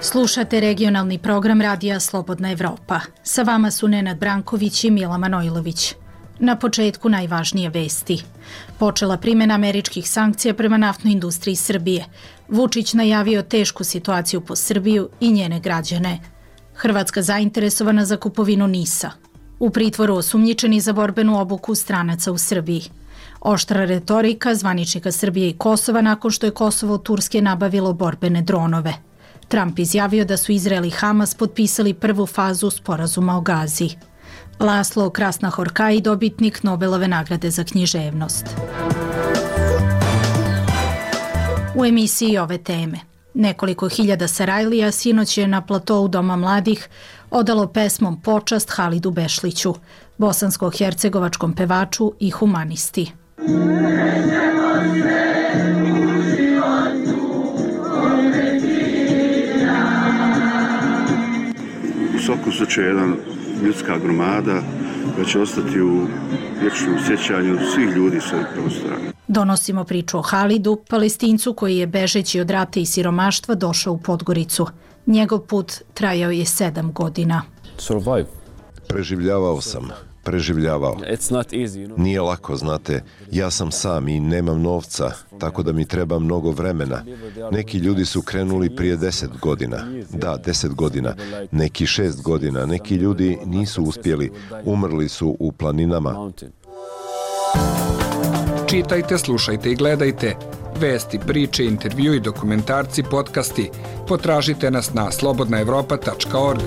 Slušate regionalni program Radija Slobodna Evropa. Sa vama su Nenad Branković i Mila Manojlović. Na početku najvažnije vesti. Počela primjena američkih sankcija prema naftnoj industriji Srbije. Vučić najavio tešku situaciju po Srbiju i njene građane. Hrvatska zainteresovana za kupovinu NIS-a. U pritvoru osumnjičeni za borbenu obuku stranaca u Srbiji. Oštra retorika zvaničnika Srbije i Kosova nakon što je Kosovo od Turske nabavilo borbene dronove. Trump izjavio da su Izrael i Hamas potpisali prvu fazu sporazuma o Gazi. Laslo Krasnahorkai, dobitnik Nobelove nagrade za književnost. U emisiji ove teme. Nekoliko hiljada Sarajlija sinoć je na platou Doma mladih odalo pesmom počast Halidu Bešliću, bosansko-hercegovačkom pevaču i humanisti. U svakom slučaju jedan ljudska gromada koja će ostati u vječnom sjećanju svih ljudi s ovih prostora. Donosimo priču o Halidu, Palestincu koji je bežeći od rata i siromaštva došao u Podgoricu. Njegov put trajao je 7 godina. Preživljavao. Nije lako, znate, ja sam sam i nemam novca, tako da mi treba mnogo vremena. Neki ljudi su krenuli prije 10 godina. Da, 10 godina. Neki 6 godina. Neki ljudi nisu uspjeli. Umrli su u planinama. Čitajte, slušajte i gledajte. Vesti, priče, intervju i dokumentarci, podcasti. Potražite nas na slobodnaevropa.org.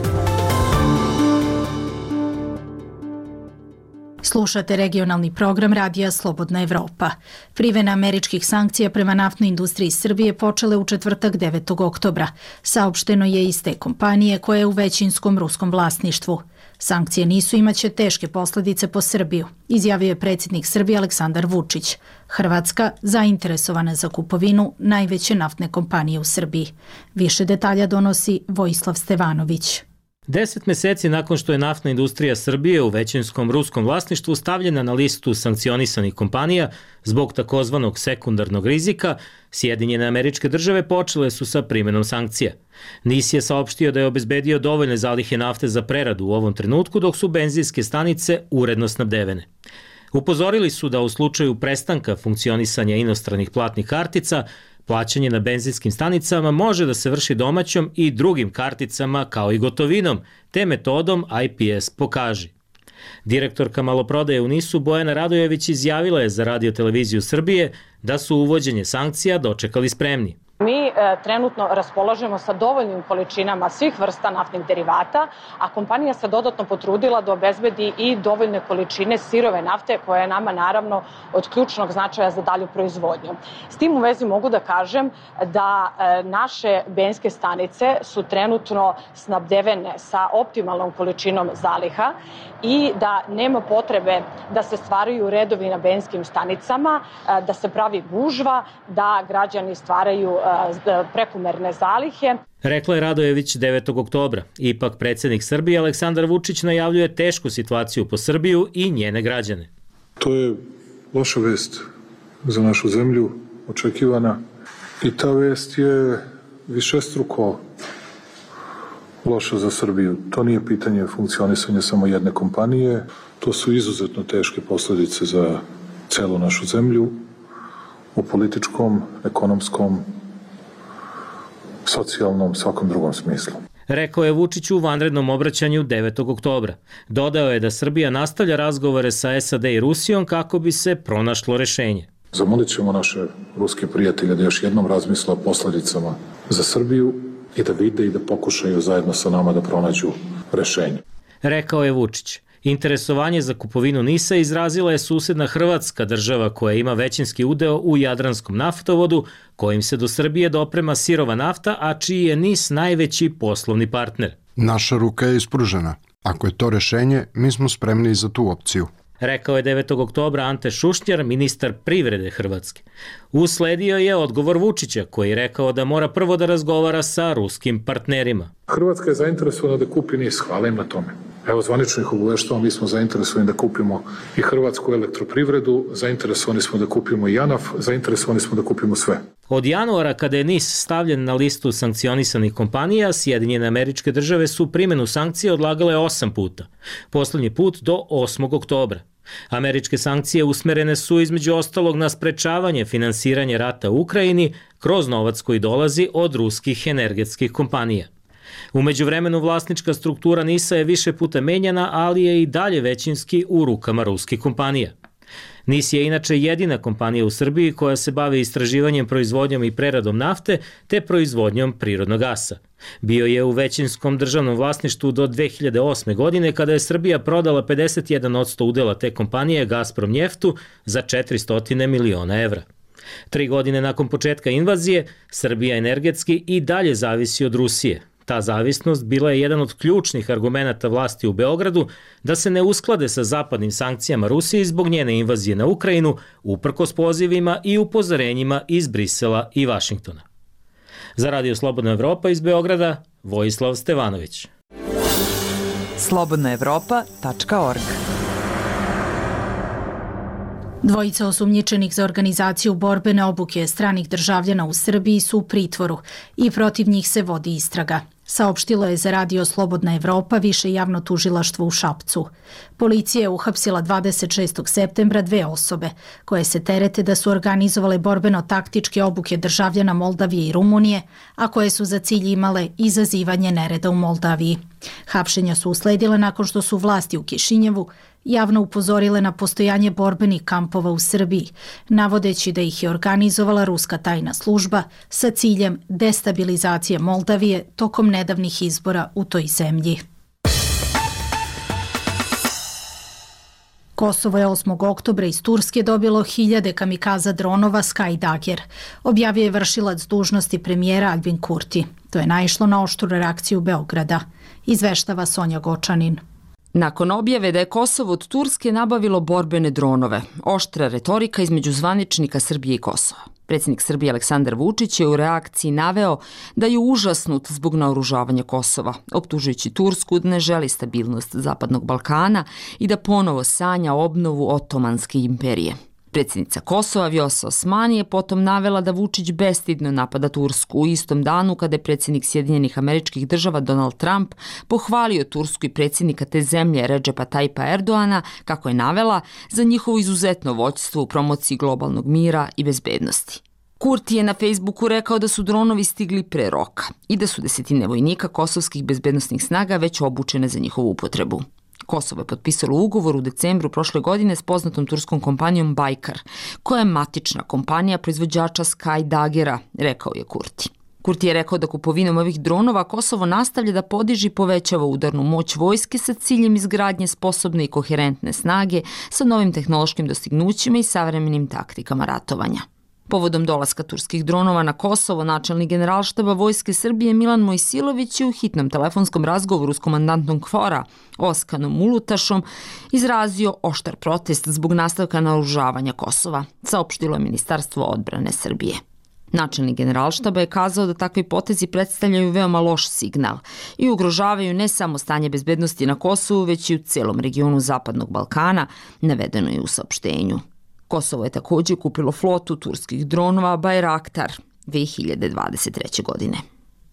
Slušate regionalni program Radija Slobodna Evropa. Primjena američkih sankcija prema naftnoj industriji Srbije počele u četvrtak 9. oktobra. Saopšteno je iz te kompanije koja je u većinskom ruskom vlasništvu. Sankcije nisu imaće teške posljedice po Srbiju, izjavio je predsjednik Srbije Aleksandar Vučić. Hrvatska zainteresovana za kupovinu najveće naftne kompanije u Srbiji. Više detalja donosi Vojislav Stevanović. 10 meseci nakon što je naftna industrija Srbije u većinskom ruskom vlasništvu stavljena na listu sankcionisanih kompanija zbog takozvanog sekundarnog rizika, Sjedinjene Američke Države počele su sa primjenom sankcija. NIS je saopštio da je obezbedio dovoljne zalihe nafte za preradu u ovom trenutku, dok su benzinske stanice uredno snabdevene. Upozorili su da u slučaju prestanka funkcionisanja inostranih platnih kartica, plaćanje na benzinskim stanicama može da se vrši domaćom i drugim karticama kao i gotovinom, te metodom IPS pokaži. Direktorka maloprodaje u NIS-u Bojana Radojević izjavila je za Radio televiziju Srbije da su uvođenje sankcija dočekali spremni. Mi trenutno raspolažemo sa dovoljnim količinama svih vrsta naftnih derivata, a kompanija se dodatno potrudila da obezbedi i dovoljne količine sirove nafte koja je nama naravno od ključnog značaja za dalju proizvodnju. S tim u vezi mogu da kažem da naše benzinske stanice su trenutno snabdevene sa optimalnom količinom zaliha i da nema potrebe da se stvaraju redovi na benzinskim stanicama, da se pravi gužva, da građani stvaraju prekomerne zalihe. Rekla je Radojević 9. oktobra. Ipak predsjednik Srbije Aleksandar Vučić najavljuje tešku situaciju po Srbiju i njene građane. To je loša vest za našu zemlju, očekivana. I ta vest je višestruko loša za Srbiju. To nije pitanje funkcionisanja samo jedne kompanije. To su izuzetno teške posljedice za celu našu zemlju u političkom, ekonomskom, socijalnom, svakom drugom smislu. Rekao je Vučić u vanrednom obraćanju 9. oktobra. Dodao je da Srbija nastavlja razgovore sa SAD i Rusijom kako bi se pronašlo rešenje. Zamolit ćemo naše ruske prijatelje da još jednom razmisle o posljedicama za Srbiju i da vide i da pokušaju zajedno sa nama da pronađu rešenje. Rekao je Vučić. Interesovanje za kupovinu NIS-a izrazila je susedna Hrvatska, država koja ima većinski udeo u Jadranskom naftovodu, kojim se do Srbije doprema sirova nafta, a čiji je NIS najveći poslovni partner. Naša ruka je ispružena. Ako je to rešenje, mi smo spremni za tu opciju. Rekao je 9. oktobra Ante Šušnjar, ministar privrede Hrvatske. Usledio je odgovor Vučića, koji je rekao da mora prvo da razgovara sa ruskim partnerima. Hrvatska je zainteresovana da kupi NIS, hvala im na tome. Evo, zvanično ih obaveštavamo, mi smo zainteresovani da kupimo i Hrvatsku elektroprivredu, zainteresovani smo da kupimo i JANAF, zainteresovani smo da kupimo sve. Od januara, kada je NIS stavljen na listu sankcionisanih kompanija, Sjedinjene Američke Države su primjenu sankcije odlagale 8 puta. Poslednji put do 8. oktobra. Američke sankcije usmerene su između ostalog na sprečavanje finansiranja rata u Ukrajini kroz novac koji dolazi od ruskih energetskih kompanija. U međuvremenu vlasnička struktura NIS-a je više puta menjana, ali je i dalje većinski u rukama ruskih kompanija. NIS je inače jedina kompanija u Srbiji koja se bavi istraživanjem, proizvodnjom i preradom nafte te proizvodnjom prirodnog gasa. Bio je u većinskom državnom vlasništvu do 2008. godine kada je Srbija prodala 51% udela te kompanije Gazprom Njeftu za 400 miliona evra. 3 godine nakon početka invazije, Srbija energetski i dalje zavisi od Rusije. Ta zavisnost bila je jedan od ključnih argumenata vlasti u Beogradu da se ne usklade sa zapadnim sankcijama Rusiji zbog njene invazije na Ukrajinu, uprkos pozivima i upozorenjima iz Brisela i Vašingtona. Za Radio Slobodna Evropa iz Beograda, Vojislav Stevanović. slobodnaevropa.org. Dvojica osumnjičenih za organizaciju borbene obuke stranih državljana u Srbiji su u pritvoru i protiv njih se vodi istraga. Saopštilo je za Radio Slobodna Evropa više javno tužilaštvo u Šapcu. Policija je uhapsila 26. septembra 2 osobe koje se terete da su organizovale borbeno-taktičke obuke državljana Moldavije i Rumunije, a koje su za cilj imale izazivanje nereda u Moldaviji. Hapšenja su usledile nakon što su vlasti u Kišinjevu javno upozorile na postojanje borbenih kampova u Srbiji, navodeći da ih je organizovala ruska tajna služba sa ciljem destabilizacije Moldavije tokom nedavnih izbora u toj zemlji. Kosovo je 8. oktobra iz Turske dobilo 1000 kamikaza dronova Skydager, objavio je vršilac dužnosti premijera Albin Kurti. To je naišlo na oštru reakciju Beograda, izveštava Sonja Gočanin. Nakon objave da je Kosovo od Turske nabavilo borbene dronove, oštra retorika između zvaničnika Srbije i Kosova. Predsjednik Srbije Aleksandar Vučić je u reakciji naveo da je užasnut zbog naoružavanja Kosova, optužujući Tursku da ne želi stabilnost Zapadnog Balkana i da ponovo sanja obnovu Otomanske imperije. Predsjednica Kosova Vjosa Osmani je potom navela da Vučić bestidno napada Tursku u istom danu kada je predsjednik Sjedinjenih Američkih Država Donald Trump pohvalio Tursku i predsjednika te zemlje Redžepa Tajpa Erdoana, kako je navela, za njihovo izuzetno vođstvo u promociji globalnog mira i bezbednosti. Kurti je na Facebooku rekao da su dronovi stigli pre roka i da su desetine vojnika kosovskih bezbednosnih snaga već obučene za njihovu upotrebu. Kosovo je potpisalo ugovor u decembru prošle godine s poznatom turskom kompanijom Bajkar, koja je matična kompanija proizvođača Skydagera, rekao je Kurti. Kurti je rekao da kupovinom ovih dronova Kosovo nastavlja da podiže i povećava udarnu moć vojske sa ciljem izgradnje sposobne i koherentne snage sa novim tehnološkim dostignućima i savremenim taktikama ratovanja. Povodom dolaska turskih dronova na Kosovo, načelnik Generalštaba Vojske Srbije Milan Mojsilović je u hitnom telefonskom razgovoru s komandantom KFOR-a Oskanom Ulutašom izrazio oštar protest zbog nastavka naoružavanja Kosova, saopštilo je Ministarstvo odbrane Srbije. Načelnik Generalštaba je kazao da takvi potezi predstavljaju veoma loš signal i ugrožavaju ne samo stanje bezbednosti na Kosovu, već i u celom regionu Zapadnog Balkana, navedeno je u saopštenju. Kosovo je također kupilo flotu turskih dronova Bayraktar 2023. godine.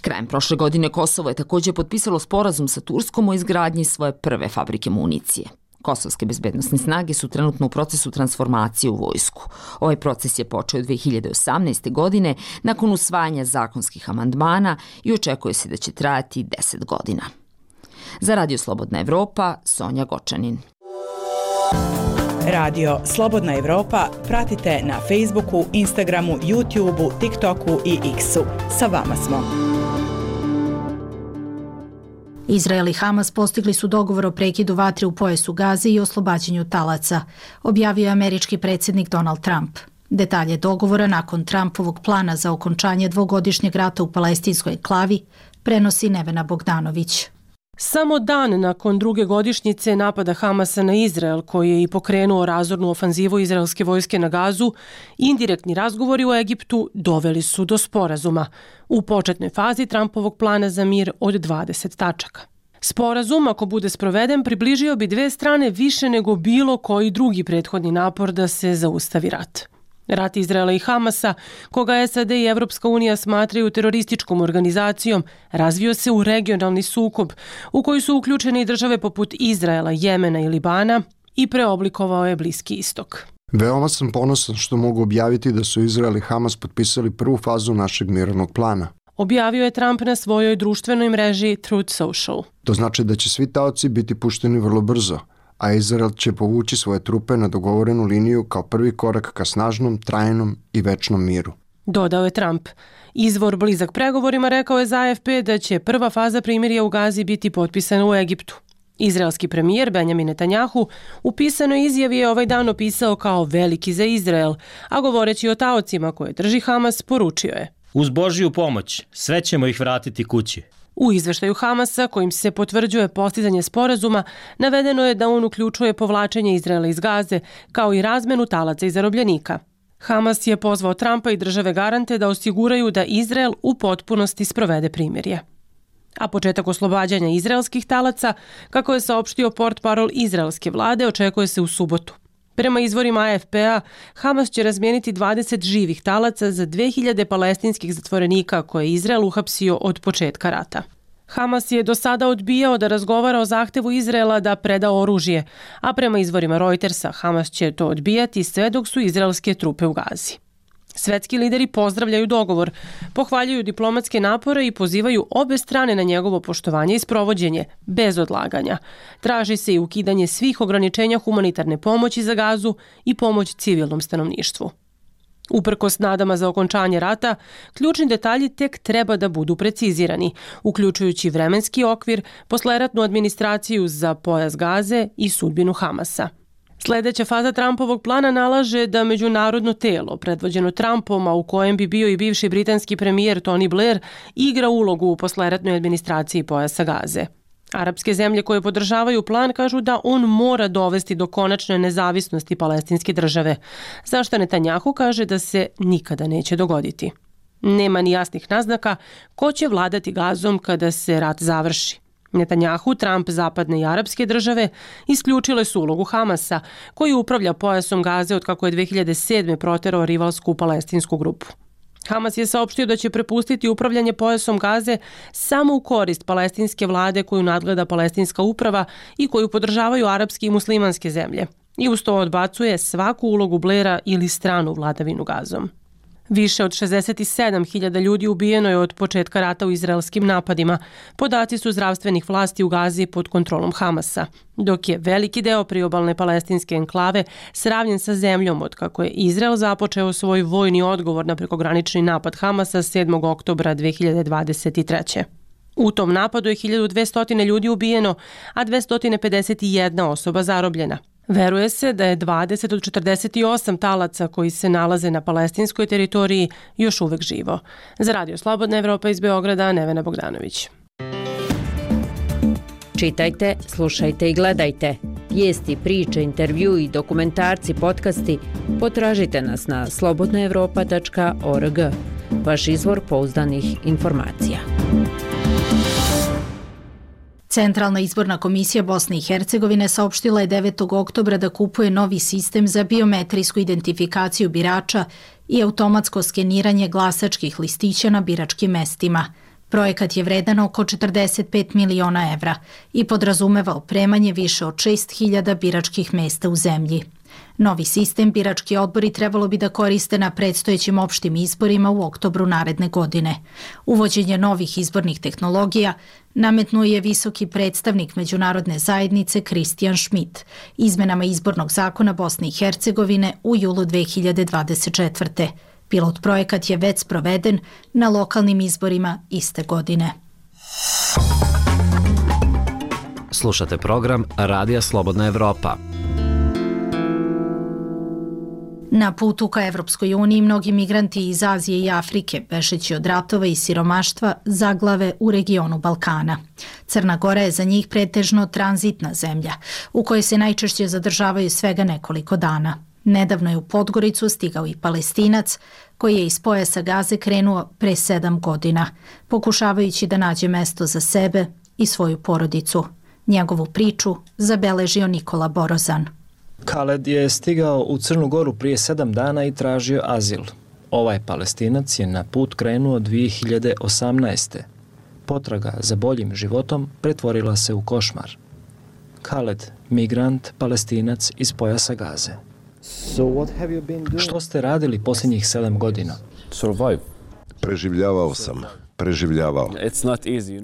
Krajem prošle godine Kosovo je također potpisalo sporazum sa Turskom o izgradnji svoje prve fabrike municije. Kosovske bezbednosne snage su trenutno u procesu transformacije u vojsku. Ovaj proces je počeo 2018. godine nakon usvajanja zakonskih amandmana i očekuje se da će trajati 10 godina. Za Radio Slobodna Evropa, Sonja Gočanin. Radio Slobodna Evropa pratite na Facebooku, Instagramu, YouTubeu, TikToku i X-u. Sa vama smo. Izrael i Hamas postigli su dogovor o prekidu vatre u pojasu Gaze i oslobađanju talaca, objavio je američki predsjednik Donald Trump. Detalje dogovora nakon Trumpovog plana za okončanje dvogodišnjeg rata u palestinskoj enklavi prenosi Nevena Bogdanović. Samo dan nakon druge godišnjice napada Hamasa na Izrael, koji je i pokrenuo razornu ofanzivu izraelske vojske na Gazu, indirektni razgovori u Egiptu doveli su do sporazuma u početnoj fazi Trumpovog plana za mir od 20 tačaka. Sporazum, ako bude sproveden, približio bi dve strane više nego bilo koji drugi prethodni napor da se zaustavi rat. Rat Izraela i Hamasa, koga SAD i Evropska unija smatraju terorističkom organizacijom, razvio se u regionalni sukob u koji su uključene i države poput Izraela, Jemena i Libana i preoblikovao je Bliski istok. Veoma sam ponosan što mogu objaviti da su Izrael i Hamas potpisali prvu fazu našeg mirovnog plana. Objavio je Trump na svojoj društvenoj mreži Truth Social. To znači da će svi taoci biti pušteni vrlo brzo, a Izrael će povući svoje trupe na dogovorenu liniju kao prvi korak ka snažnom, trajnom i večnom miru. Dodao je Trump. Izvor blizak pregovorima rekao je za AFP da će prva faza primirja u Gazi biti potpisana u Egiptu. Izraelski premijer Benjamin Netanjahu u pisanoj izjavi je ovaj dan opisao kao veliki za Izrael, a govoreći o taocima koje drži Hamas, poručio je: uz Božju pomoć sve ćemo ih vratiti kući. U izveštaju Hamasa, kojim se potvrđuje postizanje sporazuma, navedeno je da on uključuje povlačenje Izraela iz Gaze, kao i razmenu talaca i zarobljenika. Hamas je pozvao Trumpa i države garante da osiguraju da Izrael u potpunosti sprovede primirje. A početak oslobađanja izraelskih talaca, kako je saopštio portparol izraelske vlade, očekuje se u subotu. Prema izvorima AFP-a, Hamas će razmijeniti 20 živih talaca za 2000 palestinskih zatvorenika koje je Izrael uhapsio od početka rata. Hamas je do sada odbijao da razgovara o zahtevu Izraela da preda oružje, a prema izvorima Reutersa, Hamas će to odbijati sve dok su izraelske trupe u Gazi. Svetski lideri pozdravljaju dogovor, pohvaljuju diplomatske napore i pozivaju obe strane na njegovo poštovanje i sprovođenje, bez odlaganja. Traži se i ukidanje svih ograničenja humanitarne pomoći za Gazu i pomoć civilnom stanovništvu. Uprkos nadama za okončanje rata, ključni detalji tek treba da budu precizirani, uključujući vremenski okvir, posleratnu administraciju za pojas Gaze i sudbinu Hamasa. Sledeća faza Trumpovog plana nalaže da međunarodno telo, predvođeno Trumpom, a u kojem bi bio i bivši britanski premijer Tony Blair, igra ulogu u posleratnoj administraciji pojasa Gaze. Arapske zemlje koje podržavaju plan kažu da on mora dovesti do konačne nezavisnosti palestinske države, zašto Netanjahu kaže da se nikada neće dogoditi. Nema ni jasnih naznaka ko će vladati Gazom kada se rat završi. Netanjahu, Trump, zapadne i arapske države isključile su ulogu Hamasa, koji upravlja pojasom Gaze od kako je 2007. proterao rivalsku palestinsku grupu. Hamas je saopštio da će prepustiti upravljanje pojasom Gaze samo u korist palestinske vlade koju nadgleda palestinska uprava i koju podržavaju arapske i muslimanske zemlje. I uz to odbacuje svaku ulogu Blaira ili stranu vladavinu Gazom. Više od 67.000 ljudi ubijeno je od početka rata u izraelskim napadima. Podaci su zdravstvenih vlasti u Gazi pod kontrolom Hamasa, dok je veliki deo priobalne palestinske enklave sravnjen sa zemljom od kako je Izrael započeo svoj vojni odgovor na prekogranični napad Hamasa 7. oktobra 2023. U tom napadu je 1200 ljudi ubijeno, a 251 osoba zarobljena. Veruje se da je 20 od 48 talaca koji se nalaze na palestinskoj teritoriji još uvek živo. Za Radio Slobodna Evropa iz Beograda, Nevena Bogdanović. Čitajte, slušajte i gledajte. Vijesti, priče, intervju i dokumentarci, podcasti potražite nas na slobodnaevropa.org. Vaš izvor pouzdanih informacija. Centralna izborna komisija Bosne i Hercegovine saopštila je 9. oktobra da kupuje novi sistem za biometrijsku identifikaciju birača i automatsko skeniranje glasačkih listića na biračkim mestima. Projekat je vredan oko 45 miliona evra i podrazumeva opremanje više od 6.000 biračkih mesta u zemlji. Novi sistem birački odbori trebalo bi da koriste na predstojećim opštim izborima u oktobru naredne godine. Uvođenje novih izbornih tehnologija nametnuo je visoki predstavnik međunarodne zajednice Kristijan Schmidt izmenama izbornog zakona Bosne i Hercegovine u julu 2024. Pilot projekat je već sproveden na lokalnim izborima iste godine. Slušate program Radija Slobodna Evropa. Na putu ka Evropskoj uniji mnogi migranti iz Azije i Afrike, bežeći od ratova i siromaštva, zaglave u regionu Balkana. Crna Gora je za njih pretežno tranzitna zemlja, u kojoj se najčešće zadržavaju svega nekoliko dana. Nedavno je u Podgoricu stigao i Palestinac, koji je iz pojasa Gaze krenuo pre 7 godina, pokušavajući da nađe mesto za sebe i svoju porodicu. Njegovu priču zabeležio Nikola Borozan. Khaled je stigao u Crnu Goru prije 7 dana i tražio azil. Ovaj Palestinac je na put krenuo 2018. Potraga za boljim životom pretvorila se u košmar. Khaled, migrant, Palestinac iz pojasa Gaze. Što ste radili posljednjih 7 godina? Preživljavao sam.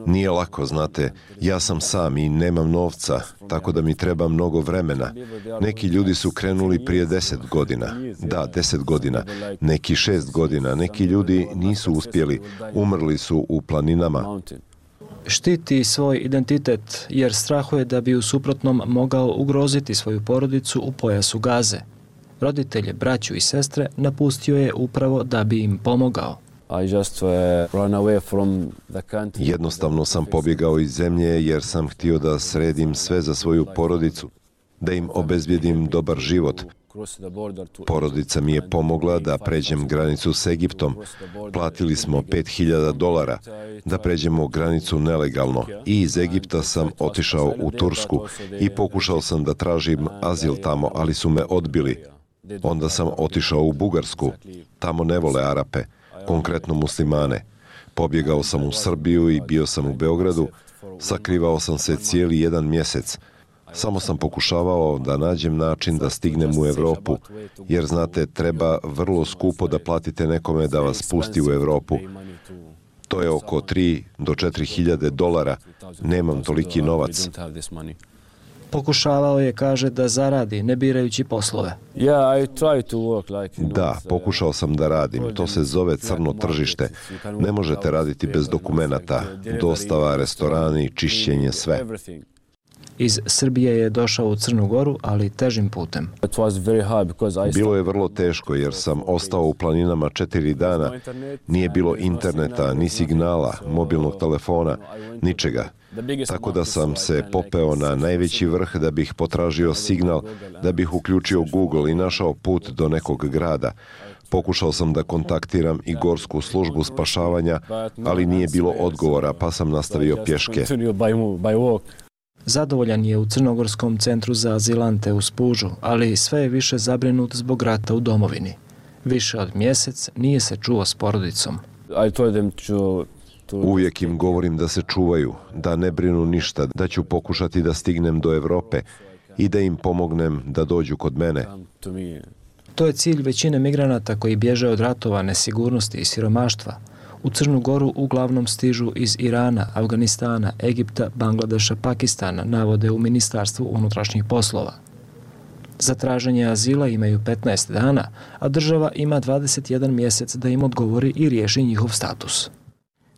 Nije lako, znate, ja sam sam i nemam novca, tako da mi treba mnogo vremena. Neki ljudi su krenuli prije 10 godina. Da, 10 godina. Neki 6 godina. Neki ljudi nisu uspjeli. Umrli su u planinama. Štiti svoj identitet jer strahuje da bi u suprotnom mogao ugroziti svoju porodicu u pojasu Gaze. Roditelje, braću i sestre napustio je upravo da bi im pomogao. Jednostavno sam pobjegao iz zemlje jer sam htio da sredim sve za svoju porodicu, da im obezbijedim dobar život. Porodica mi je pomogla da pređem granicu s Egiptom. Platili smo $5.000 da pređemo granicu nelegalno i iz Egipta sam otišao u Tursku i pokušao sam da tražim azil tamo, ali su me odbili. Onda sam otišao u Bugarsku. Tamo ne vole Arape, konkretno muslimane. Pobjegao sam u Srbiju i bio sam u Beogradu. Sakrivao sam se cijeli 1 mjesec. Samo sam pokušavao da nađem način da stignem u Europu, jer znate, treba vrlo skupo da platite nekome da vas pusti u Europu. To je oko $3.000 do $4.000. Nemam toliki novac. Pokušavao je, kaže, da zaradi, ne birajući poslove. Da, pokušao sam da radim. To se zove crno tržište. Ne možete raditi bez dokumenata. Dostava, restorani, čišćenje, sve. Iz Srbije je došao u Crnu Goru, ali težim putem. Bilo je vrlo teško jer sam ostao u planinama 4 dana. Nije bilo interneta, ni signala, mobilnog telefona, ničega. Tako da sam se popeo na najveći vrh da bih potražio signal, da bih uključio Google i našao put do nekog grada. Pokušao sam da kontaktiram i gorsku službu spašavanja, ali nije bilo odgovora, pa sam nastavio pješke. Zadovoljan je u Crnogorskom centru za azilante u Spužu, ali sve je više zabrinut zbog rata u domovini. Više od mjesec nije se čuo s porodicom. Uvijek im govorim da se čuvaju, da ne brinu ništa, da ću pokušati da stignem do Europe i da im pomognem da dođu kod mene. To je cilj većine migranata koji bježe od ratova, nesigurnosti i siromaštva. U Crnu Goru uglavnom stižu iz Irana, Afganistana, Egipta, Bangladeša, Pakistana, navode u Ministarstvu unutrašnjih poslova. Za traženje azila imaju 15 dana, a država ima 21 mjesec da im odgovori i riješi njihov status.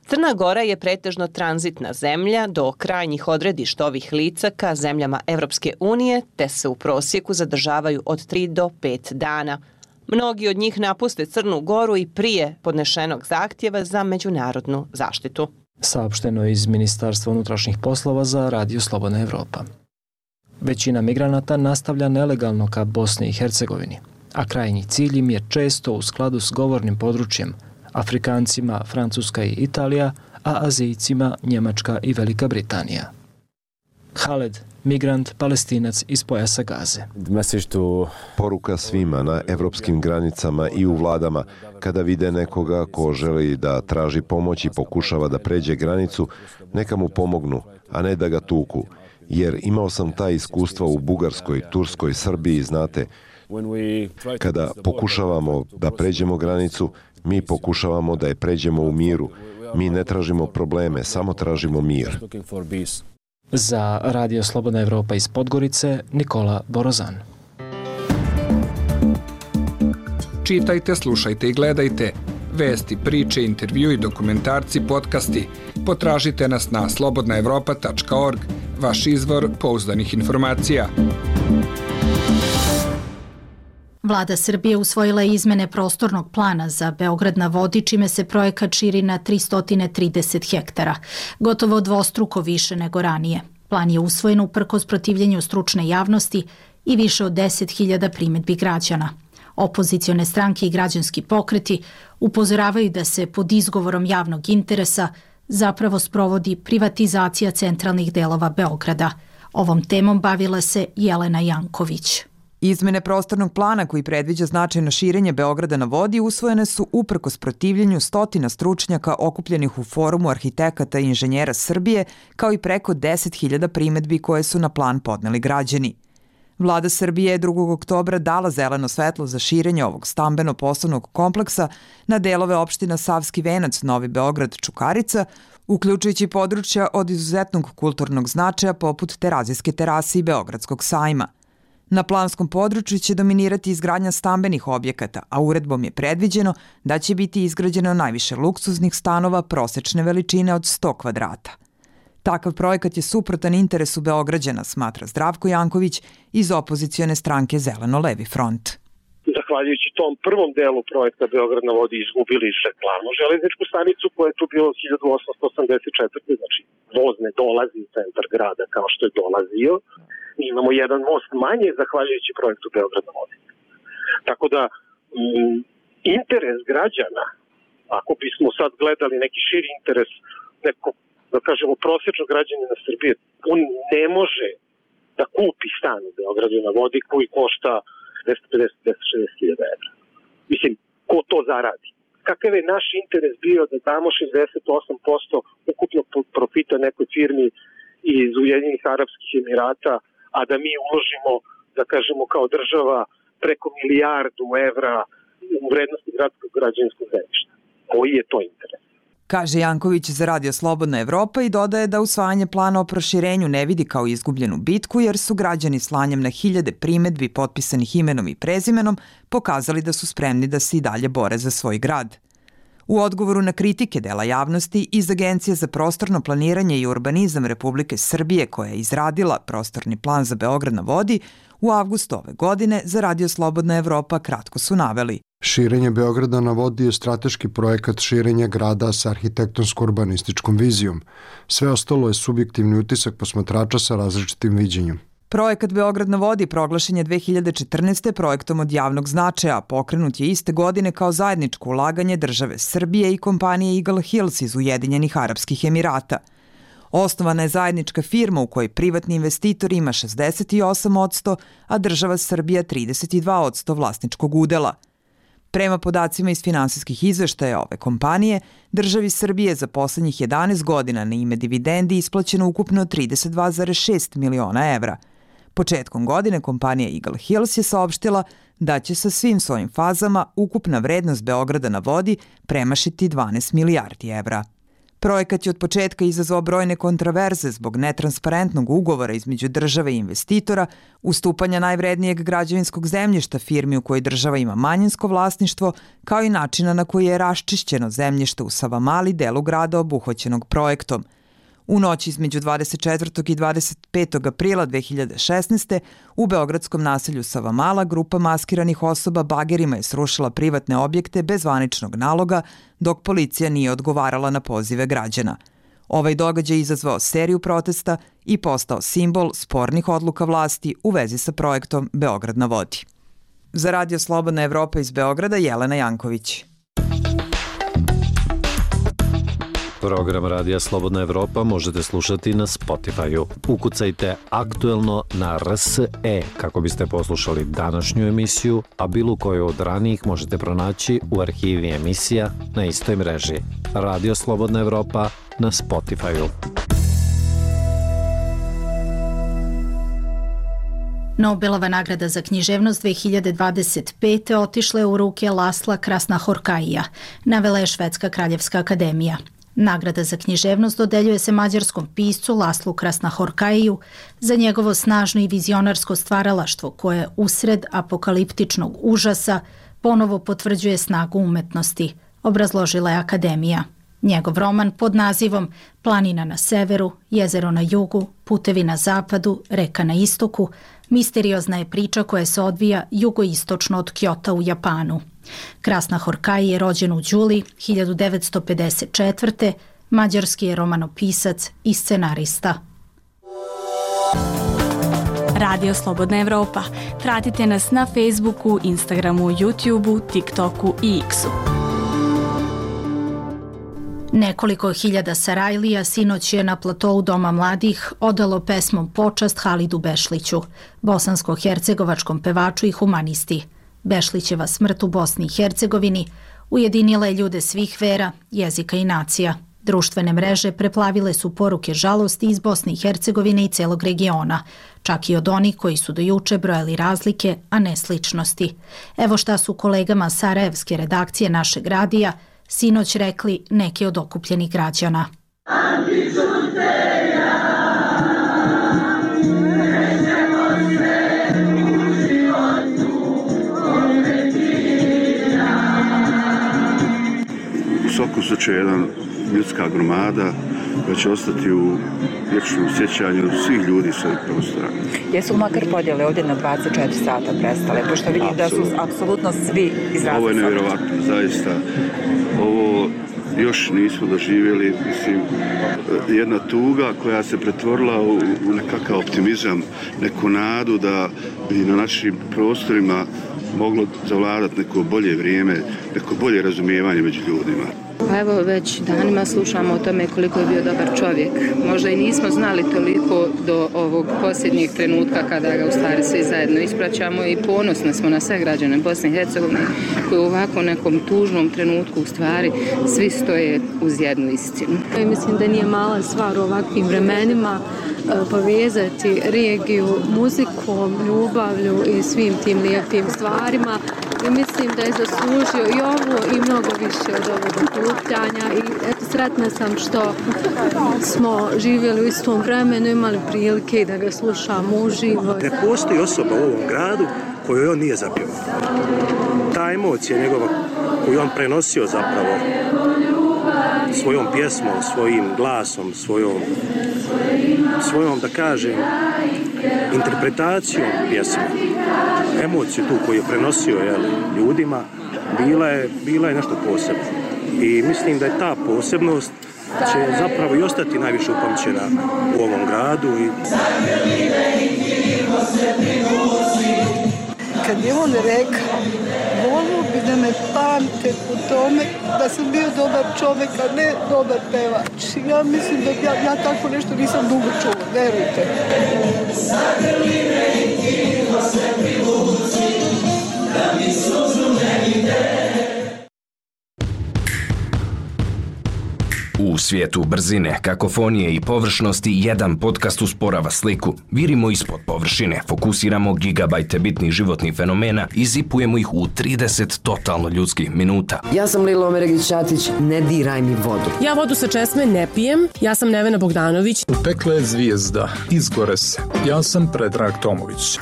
Crna Gora je pretežno tranzitna zemlja do krajnjih odredišta ovih lica ka zemljama Evropske unije, te se u prosjeku zadržavaju od 3 do 5 dana. Mnogi od njih napuste Crnu Goru i prije podnešenog zahtjeva za međunarodnu zaštitu. Saopšteno iz Ministarstva unutrašnjih poslova za Radio Slobodna Evropa. Većina migranata nastavlja nelegalno ka Bosni i Hercegovini, a krajnji cilj im je često u skladu s govornim područjem, Afrikancima Francuska i Italija, a Azijcima Njemačka i Velika Britanija. Khaled, migrant, Palestinac iz pojasa Gaze. Poruka svima na evropskim granicama i u vladama, kada vide nekoga ko želi da traži pomoć i pokušava da pređe granicu, neka mu pomognu, a ne da ga tuku. Jer imao sam ta iskustva u Bugarskoj, Turskoj, Srbiji, znate. Kada pokušavamo da pređemo granicu, mi pokušavamo da je pređemo u miru. Mi ne tražimo probleme, samo tražimo mir. Za Radio Slobodna Evropa iz Podgorice, Nikola Borozan. Čitajte, slušajte i gledajte. Vesti, priče, intervju i dokumentarci, podcasti. Potražite nas na slobodnaevropa.org, vaš izvor pouzdanih informacija. Vlada Srbije usvojila je izmene prostornog plana za Beograd na vodi, čime se projekat širi na 330 hektara, gotovo dvostruko više nego ranije. Plan je usvojen uprkos protivljenju stručne javnosti i više od 10.000 primjedbi građana. Opozicione stranke i građanski pokreti upozoravaju da se pod izgovorom javnog interesa zapravo sprovodi privatizacija centralnih delova Beograda. Ovom temom bavila se Jelena Janković. Izmene prostornog plana koji predviđa značajno širenje Beograda na vodi usvojene su uprkos protivljenju stotina stručnjaka okupljenih u Forumu arhitekata i inženjera Srbije, kao i preko 10.000 primedbi koje su na plan podneli građani. Vlada Srbije je 2. oktobra dala zeleno svetlo za širenje ovog stambeno-poslovnog kompleksa na delove opština Savski Venac, Novi Beograd, Čukarica, uključujući područja od izuzetnog kulturnog značaja poput Terazijske terase i Beogradskog sajma. Na planskom području će dominirati izgradnja stambenih objekata, a uredbom je predviđeno da će biti izgrađeno najviše luksuznih stanova prosečne veličine od 100 kvadrata. Takav projekat je suprotan interesu Beograđana, smatra Zdravko Janković iz opozicione stranke Zeleno-levi front. Zahvaljujući tom prvom delu projekta Beograd na vodi izgubili glavnu železničku stanicu koja je tu bila od 1884. Znači, voz ne dolazi u centar grada kao što je dolazio. Mi imamo jedan most manje zahvaljujući projektu Beograd na vodi. Tako da, interes građana, ako bismo sad gledali neki širi interes nekog, da kažemo, prosječnog građanina Srbije, on ne može da kupi stan u Beogradu na vodi koji košta 250-260 hiljada evra. Mislim, ko to zaradi? Kakav je naš interes bio da damo 68% ukupnog profita nekoj firmi iz Ujedinjenih Arapskih Emirata, a da mi uložimo, da kažemo, kao država preko 1 milijardu evra u vrednosti gradskog građevinskog zemljišta? Koji je to interes? Kaže Janković za Radio Slobodna Evropa i dodaje da usvajanje plana o proširenju ne vidi kao izgubljenu bitku jer su građani slanjem na hiljade primedbi potpisanih imenom i prezimenom pokazali da su spremni da se i dalje bore za svoj grad. U odgovoru na kritike dela javnosti iz Agencije za prostorno planiranje i urbanizam Republike Srbije koja je izradila prostorni plan za Beograd na vodi, u avgustu ove godine za Radio Slobodna Evropa kratko su naveli: Širenje Beograda na vodi je strateški projekat širenja grada sa arhitektonsko-urbanističkom vizijom. Sve ostalo je subjektivni utisak posmatrača sa različitim viđenjem. Projekat Beograd na vodi proglašen je 2014. projektom od javnog značaja, pokrenut je iste godine kao zajedničko ulaganje države Srbije i kompanije Eagle Hills iz Ujedinjenih Arapskih Emirata. Osnovana je zajednička firma u kojoj privatni investitor ima 68%, a država Srbija 32% vlasničkog udela. Prema podacima iz finansijskih izveštaja ove kompanije, državi Srbije za poslednjih 11 godina na ime dividendi isplaćeno ukupno 32,6 miliona evra. Početkom godine kompanija Eagle Hills je saopštila da će sa svim svojim fazama ukupna vrednost Beograda na vodi premašiti 12 milijardi evra. Projekat je od početka izazvao brojne kontraverze zbog netransparentnog ugovora između države i investitora, ustupanja najvrednijeg građevinskog zemljišta firmi u kojoj država ima manjinsko vlasništvo, kao i načina na koji je raščišćeno zemljište u Savamali, delu grada obuhvaćenog projektom. U noći između 24. i 25. aprila 2016. u beogradskom naselju Savamala grupa maskiranih osoba bagerima je srušila privatne objekte bez zvaničnog naloga, dok policija nije odgovarala na pozive građana. Ovaj događaj je izazvao seriju protesta i postao simbol spornih odluka vlasti u vezi sa projektom Beograd na vodi. Za Radio Slobodna Evropa iz Beograda, Jelena Janković. Program Radija Slobodna Evropa možete slušati na Spotify-u. Ukucajte aktuelno na RSE kako biste poslušali današnju emisiju, a bilo koju od ranijih možete pronaći u arhivi emisija na istoj mreži. Radio Slobodna Evropa na Spotify-u. Nobelova nagrada za književnost 2025. otišla je u ruke Lasla Krasnahorkaija, navela je Švedska kraljevska akademija. Nagrada za književnost dodeljuje se mađarskom piscu Laslu Krasnahorkaiju za njegovo snažno i vizionarsko stvaralaštvo koje usred apokaliptičnog užasa ponovo potvrđuje snagu umetnosti, obrazložila je akademija. Njegov roman pod nazivom Planina na severu, jezero na jugu, putevi na zapadu, reka na istoku, misteriozna je priča koja se odvija jugoistočno od Kjota u Japanu. Krasnahorkai je rođen u Đuli 1954. Mađarski je romanopisac i scenarista. Radio Slobodna Evropa. Pratite nas na Facebooku, Instagramu, YouTubeu, TikToku i X-u. Nekoliko hiljada Sarajlija sinoć je na platou Doma mladih odalo pesmom počast Halidu Bešliću, bosansko-hercegovačkom pevaču i humanisti. Bešlićeva smrt u Bosni i Hercegovini ujedinila je ljude svih vera, jezika i nacija. Društvene mreže preplavile su poruke žalosti iz Bosne i Hercegovine i celog regiona, čak i od onih koji su do juče brojali razlike, a ne sličnosti. Evo šta su kolegama sarajevske redakcije našeg radija sinoć rekli neki od okupljenih građana. U svakom slučaju jedan ljudska gromada koja će ostati u vječnom sjećanju svih ljudi s ovih prostora. Jesu makar podjele ovdje na 24 sata prestale, pošto vidim da su apsolutno svi izrazili. Ovo je nevjerovatno, zaista. Ovo još nismo doživjeli, mislim, jedna tuga koja se pretvorila u nekakav optimizam, neku nadu da bi na našim prostorima moglo zavladati neko bolje vrijeme, neko bolje razumijevanje među ljudima. Pa evo već danima slušamo o tome koliko je bio dobar čovjek. Možda i nismo znali toliko do ovog posljednjeg trenutka kada ga u stvari svi zajedno ispraćamo i ponosni smo na sve građane Bosne i Hercegovine koji u ovako nekom tužnom trenutku u stvari svi stoje uz jednu istinu. Mislim da nije mala stvar u ovakvim vremenima povezati regiju muzikom, ljubavlju i svim tim lijepim stvarima. I mislim da je zaslužio i ovo i mnogo više od ovog okupljanja i eto sretna sam što smo živjeli u istom vremenu, imali prilike da ga slušamo uživo. Ne postoji osoba u ovom gradu koju on nije zapjevao. Ta emocija njegova koju on prenosio zapravo svojom pjesmom, svojim glasom, svojom da kažem interpretacijom pjesme, emociju tu koju je prenosio ljudima, bila je nešto posebno. I mislim da je ta posebnost će zapravo i ostati najviše upamćena u ovom gradu. Kad je on rekao, volio bi da me pamte po tome da sam bio dobar čovjek, a ne dobar pevač. Ja mislim da ja tako nešto nisam dugo čula, verujte. U svijetu brzine, kakofonije i površnosti jedan podcast usporava sliku. Virimo ispod površine, fokusiramo gigabajte bitnih životnih fenomena i zipujemo ih u 30 totalno ljudskih minuta. Ja sam Lila Omeregić-Ćatić, ne diraj mi vodu. Ja vodu sa česme ne pijem, ja sam Nevena Bogdanović. Upekla je zvijezda, izgore se. Ja sam Predrag Tomović.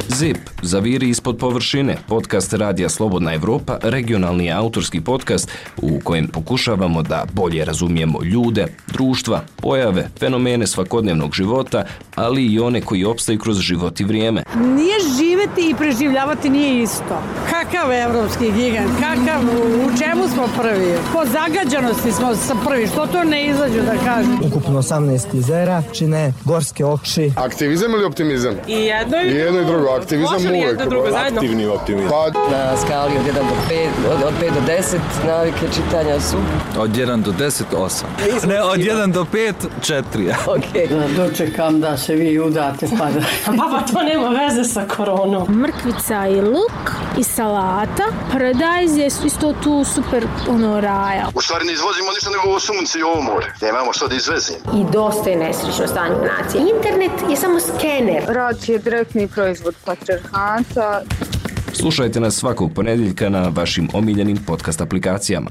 ZIP, zaviri ispod površine, podcast Radija Slobodna Evropa, regionalni autorski podcast u kojem pokušavamo da bolje razumijemo ljude, društva, pojave, fenomene svakodnevnog života, ali i one koji opstaju kroz život i vrijeme. Nije živeti i preživljavati nije isto. Kakav evropski gigant, u čemu smo prvi? Po zagađenosti smo prvi, što to ne izađu da kažem? Ukupno 18 jezera, čine gorske oči. Aktivizam ili optimizam? I jedno i drugo. Aktivizam uvijek. Aktivni optimizam. Na skali od 1 do 5, od 5 do 10 navike čitanja su? Od 1 do 10, 8. Ne, od 1 do 5, 4. Ok. Dočekam da se vi udate pa da... Pa to nema veze sa koronom. Mrkvica i luk i salata. Paradajz je isto tu super raja. U stvari ne izvozimo ništa nego ovo sunce i ovo more. Nemamo što da izvezimo. I dosta je nesrećno stanje u naciji. Internet je samo skener. Rad je direktni proizvod patrijarhata. Slušajte nas svakog ponedjeljka na vašim omiljenim podcast aplikacijama.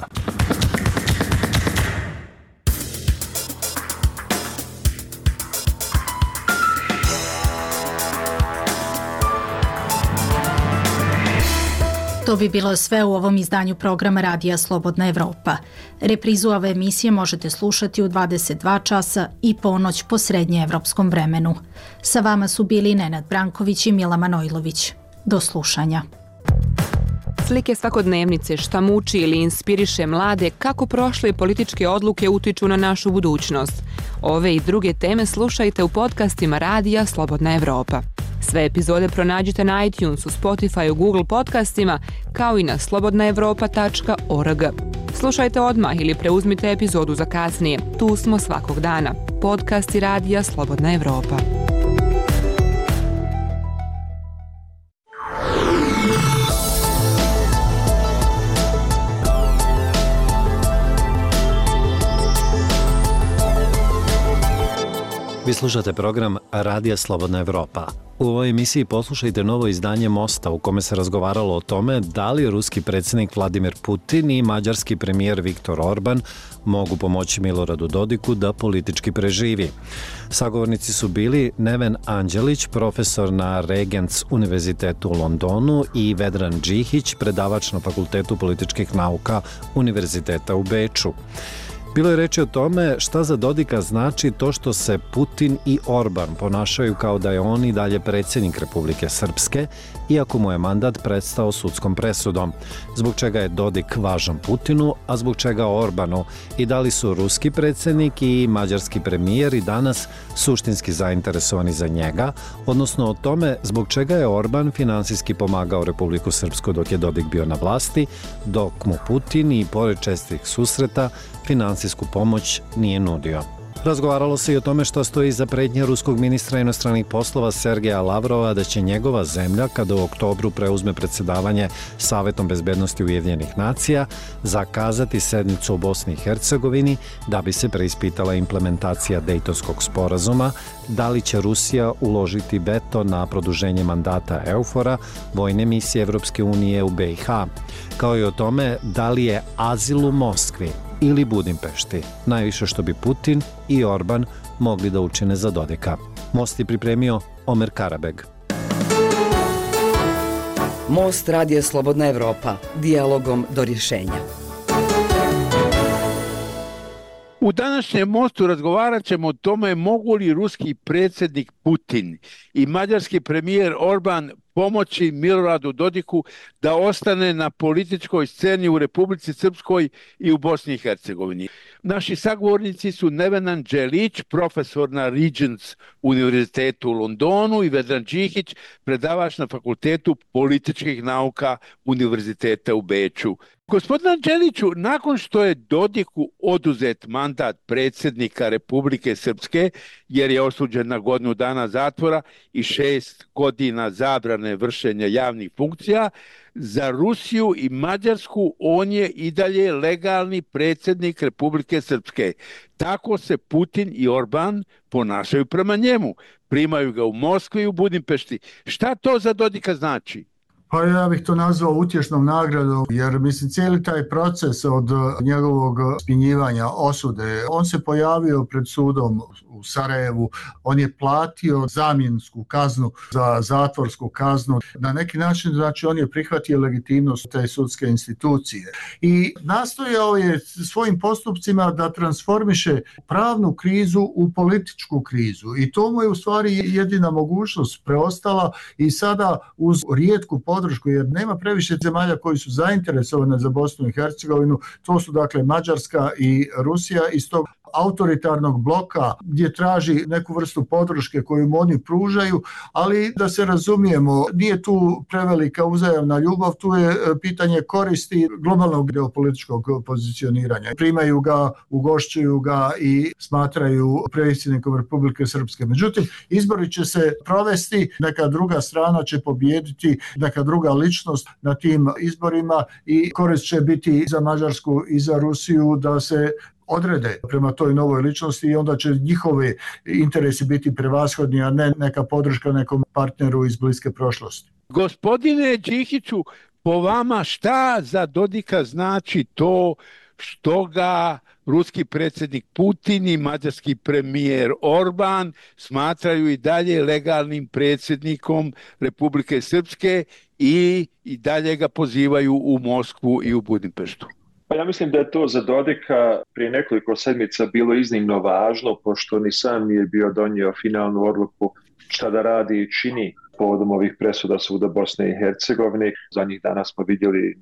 To bi bilo sve u ovom izdanju programa Radija Slobodna Evropa. Reprizu ove emisije možete slušati u 22 časa i ponoć po srednjeevropskom vremenu. Sa vama su bili Nenad Branković i Mila Manojlović. Do slušanja. Slike svakodnevnice šta muči ili inspiriše mlade kako prošle političke odluke utiču na našu budućnost. Ove i druge teme slušajte u podcastima Radija Slobodna Evropa. Sve epizode pronađite na iTunesu, Spotifyu, Google podcastima, kao i na slobodnaevropa.org. Slušajte odmah ili preuzmite epizodu za kasnije. Tu smo svakog dana. Podcast i radija Slobodna Evropa. Vi slušate program Radija Slobodna Evropa. U ovoj emisiji poslušajte novo izdanje Mosta u kome se razgovaralo o tome da li ruski predsjednik Vladimir Putin i mađarski premijer Viktor Orban mogu pomoći Miloradu Dodiku da politički preživi. Sagovornici su bili Neven Anđelić, profesor na Regents univerzitetu u Londonu, i Vedran Džihić, predavač na Fakultetu političkih nauka Univerziteta u Beču. Bilo je reči o tome šta za Dodika znači to što se Putin i Orban ponašaju kao da je on i dalje predsjednik Republike Srpske, iako mu je mandat prestao sudskom presudom. Zbog čega je Dodik važan Putinu, a zbog čega Orbanu, i da li su ruski predsjednik i mađarski premijer i danas suštinski zainteresovani za njega, odnosno o tome zbog čega je Orban finansijski pomagao Republiku Srpsku dok je Dodik bio na vlasti, dok mu Putin i pored čestih susreta finansijsku pomoć nije nudio. Razgovaralo se i o tome što stoji iza pretnje ruskog ministra inostranih poslova Sergeja Lavrova da će njegova zemlja, kada u oktobru preuzme predsjedavanje Savetom bezbednosti Ujedinjenih nacija, zakazati sednicu u Bosni i Hercegovini da bi se preispitala implementacija Dejtonskog sporazuma, da li će Rusija uložiti veto na produženje mandata EUFOR-a, vojne misije Evropske unije u BiH, kao i o tome da li je azil u Moskvi ili Budimpešti najviše što bi Putin i Orban mogli da učine za Dodika. Most je pripremio Omer Karabeg. Most Radija Slobodna Evropa. Dijalogom do rješenja. U današnjem Mostu razgovarat ćemo o tome mogu li ruski predsjednik Putin i mađarski premijer Orban pomoći Miloradu Dodiku da ostane na političkoj sceni u Republici Srpskoj i u Bosni i Hercegovini. Naši sagovornici su Neven Anđelić, profesor na Regents univerzitetu u Londonu, i Vedran Džihić, predavač na Fakultetu političkih nauka Univerziteta u Beču. Gospodin Anđeliću, nakon što je Dodiku oduzet mandat predsjednika Republike Srpske, jer je osuđen na godinu dana zatvora i 6 godina zabrane vršenja javnih funkcija, za Rusiju i Mađarsku on je i dalje legalni predsjednik Republike Srpske. Tako se Putin i Orban ponašaju prema njemu. Primaju ga u Moskvi i u Budimpešti. Šta to za Dodika znači? Pa ja bih to nazvao utješnom nagradom, jer mislim cijeli taj proces od njegovog spinjivanja, osude, on se pojavio pred sudom u Sarajevu, on je platio zamjensku kaznu za zatvorsku kaznu. Na neki način, znači, on je prihvatio legitimnost te sudske institucije i nastojao je svojim postupcima da transformiše pravnu krizu u političku krizu i to mu je u stvari jedina mogućnost preostala i sada uz rijetku podršku, jer nema previše zemalja koji su zainteresovane za Bosnu i Hercegovinu, to su dakle Mađarska i Rusija, iz tog autoritarnog bloka gdje traži neku vrstu podrške koju mu oni pružaju, ali da se razumijemo, nije tu prevelika uzajamna ljubav, tu je pitanje koristi globalnog geopolitičkog pozicioniranja. Primaju ga, ugošćuju ga i smatraju predsjednikom Republike Srpske. Međutim, izbori će se provesti, neka druga strana će pobijediti, neka druga ličnost na tim izborima i korist će biti za Mađarsku i za Rusiju da se odrede prema toj novoj ličnosti i onda će njihovi interesi biti prevashodni, a ne neka podrška nekom partneru iz bliske prošlosti. Gospodine Džihiću, po vama šta za Dodika znači to što ga ruski predsjednik Putin i mađarski premijer Orban smatraju i dalje legalnim predsjednikom Republike Srpske i dalje ga pozivaju u Moskvu i u Budimpeštu? Pa ja mislim da je to za Dodika prije nekoliko sedmica bilo iznimno važno, pošto ni sam nije bio donio finalnu odluku šta da radi i čini povodom ovih presuda Suda Bosne i Hercegovine. Zadnjih dana smo vidjeli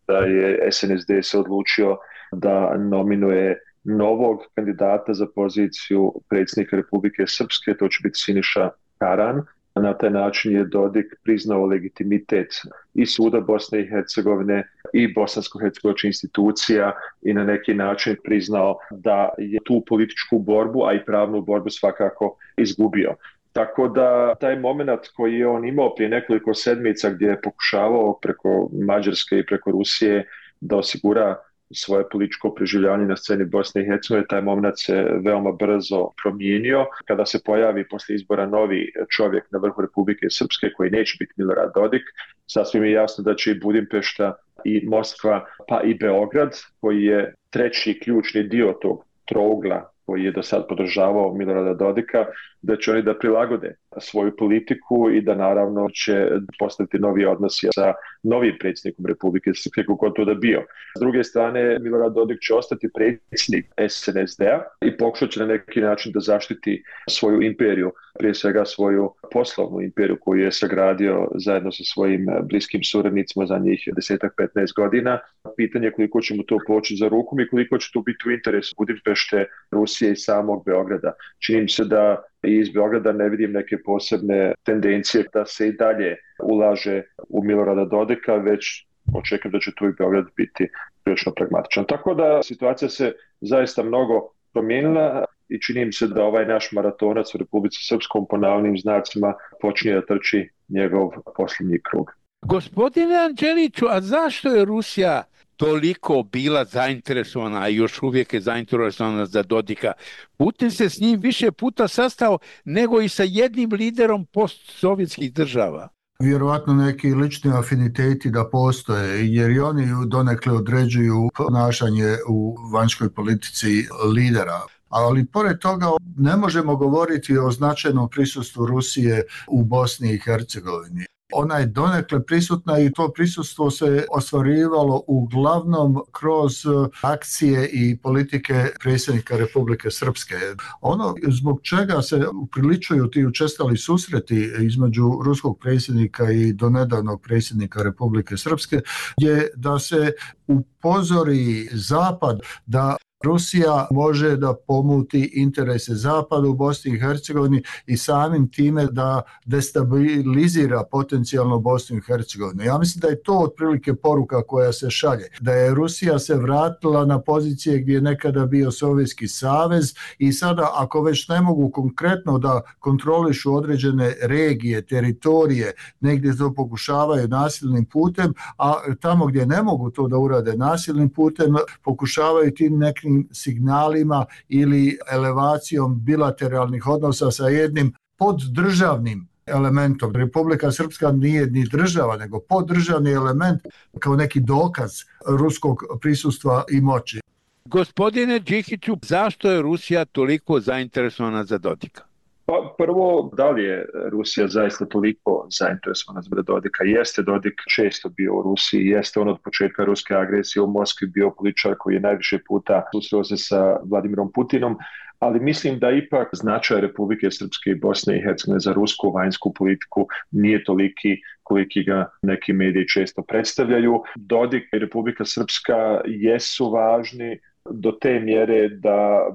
da je SNSD se odlučio da nominuje novog kandidata za poziciju predsjednika Republike Srpske, to će biti Siniša Karan. Na taj način je Dodik priznao legitimitet i Suda Bosne i Hercegovine i bosansko-hercegovačkih institucija i na neki način priznao da je tu političku borbu, a i pravnu borbu svakako izgubio. Tako da taj moment koji je on imao prije nekoliko sedmica gdje je pokušavao preko Mađarske i preko Rusije da osigura svoje političko preživljavanje na sceni Bosne i Hercegovine, taj moment se veoma brzo promijenio. Kada se pojavi poslije izbora novi čovjek na vrhu Republike Srpske koji neće biti Milorad Dodik, sasvim je jasno da će i Budimpešta i Moskva pa i Beograd, koji je treći ključni dio tog trougla koji je do sad podržavao Milorada Dodika, da će oni da prilagode svoju politiku i da naravno će postaviti novi odnosi sa novim predsjednikom Republike Srpske kako to da bio. S druge strane, Milorad Dodik će ostati predsjednik SNSD-a i pokušat će na neki način da zaštiti svoju imperiju, prije svega svoju poslovnu imperiju koju je sagradio zajedno sa svojim bliskim suradnicima za njih 10-15 godina. Pitanje je koliko će mu to poći za rukom i koliko će to biti u interesu Budimpešte, Rusije i samog Beograda. Čini mi se da i iz Beograda ne vidim neke posebne tendencije da se i dalje ulaže u Milorada Dodika, već očekujem da će tu i Beograd biti prilično pragmatičan. Tako da situacija se zaista mnogo promijenila i čini mi se da ovaj naš maratonac u Republici Srpskom po navodnim znacima počinje da trči njegov posljednji krug. Gospodine Anđeliću, a zašto je Rusija toliko bila zainteresovana, a još uvijek je zainteresovana za Dodika? Putin se s njim više puta sastao nego i sa jednim liderom postsovjetskih država. Vjerovatno neki lični afiniteti da postoje, jer i oni donekle određuju ponašanje u vanjskoj politici lidera. Ali pored toga ne možemo govoriti o značajnom prisustvu Rusije u Bosni i Hercegovini. Ona je donekle prisutna i to prisustvo se ostvarivalo uglavnom kroz akcije i politike predsjednika Republike Srpske. Ono zbog čega se upriličuju ti učestali susreti između ruskog predsjednika i donedavnog predsjednika Republike Srpske je da se upozori Zapad da Rusija može da pomuti interese Zapada u Bosni i Hercegovini i samim time da destabilizira potencijalno Bosnu i Hercegovinu. Ja mislim da je to otprilike poruka koja se šalje. Da je Rusija se vratila na pozicije gdje je nekada bio Sovjetski savez i sada ako već ne mogu konkretno da kontrolišu određene regije, teritorije, negdje to pokušavaju nasilnim putem, a tamo gdje ne mogu to da urade nasilnim putem, pokušavaju tim nekim signalima ili elevacijom bilateralnih odnosa sa jednim poddržavnim elementom. Republika Srpska nije ni država, nego poddržavni element kao neki dokaz ruskog prisustva i moći. Gospodine Đikiću, zašto je Rusija toliko zainteresovana za Dodika? Pa prvo, da li je Rusija zaista toliko zainteresovana za Dodika? Jeste Dodik često bio u Rusiji, jeste on od početka ruske agresije u Moskvi bio političar koji je najviše puta susreo se sa Vladimirom Putinom, ali mislim da ipak značaj Republike Srpske i Bosne i Hercegovine za rusku vanjsku politiku nije toliki koliki ga neki mediji često predstavljaju. Dodik i Republika Srpska jesu važni do te mjere da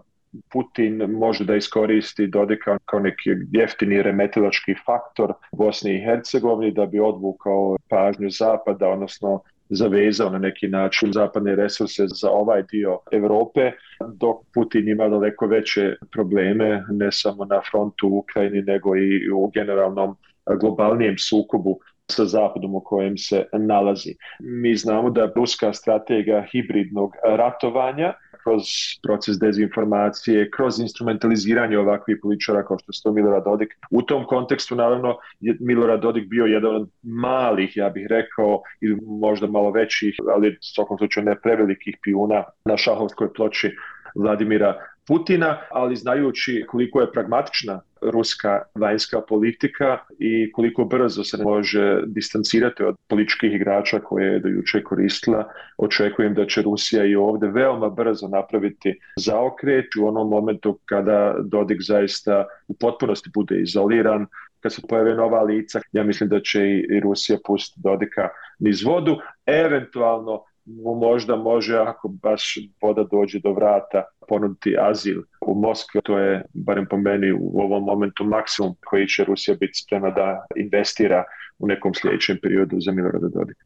Putin može da iskoristi Dodika kao neki jeftini remetilački faktor Bosne i Hercegovine da bi odvukao pažnju Zapada, odnosno zavezao na neki način zapadne resurse za ovaj dio Europe, dok Putin ima daleko veće probleme ne samo na frontu u Ukrajini nego i u generalnom globalnijem sukobu sa Zapadom u kojem se nalazi. Mi znamo da ruska strategija hibridnog ratovanja kroz proces dezinformacije, kroz instrumentaliziranje ovakvih političara kao što je to Milorad Dodik. U tom kontekstu, naravno, je Milorad Dodik bio jedan od malih, ja bih rekao, ili možda malo većih, ali u svakom slučaju ne prevelikih pijuna na šahovskoj ploči Vladimira Putina, ali znajući koliko je pragmatična ruska vanjska politika i koliko brzo se može distancirati od političkih igrača koje je do juče koristila, očekujem da će Rusija i ovdje veoma brzo napraviti zaokret u onom momentu kada Dodik zaista u potpunosti bude izoliran, kad se pojave nova lica. Ja mislim da će i Rusija pustiti Dodika niz vodu, eventualno možda može, ako baš voda dođe do vrata, ponuditi azil u Moskvi. To je, barem po meni, u ovom momentu maksimum koji će Rusija biti spremna da investira u nekom sljedećem periodu za Milorada Dodika.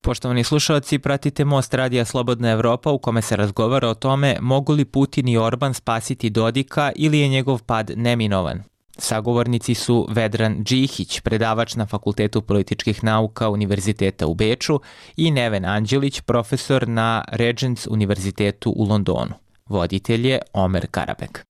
Poštovani slušalci, pratite Most radija Slobodna Evropa u kome se razgovara o tome mogu li Putin i Orban spasiti Dodika ili je njegov pad neminovan. Sagovornici su Vedran Džihić, predavač na Fakultetu političkih nauka Univerziteta u Beču, i Neven Anđelić, profesor na Regents Univerzitetu u Londonu. Voditelj je Omer Karabek.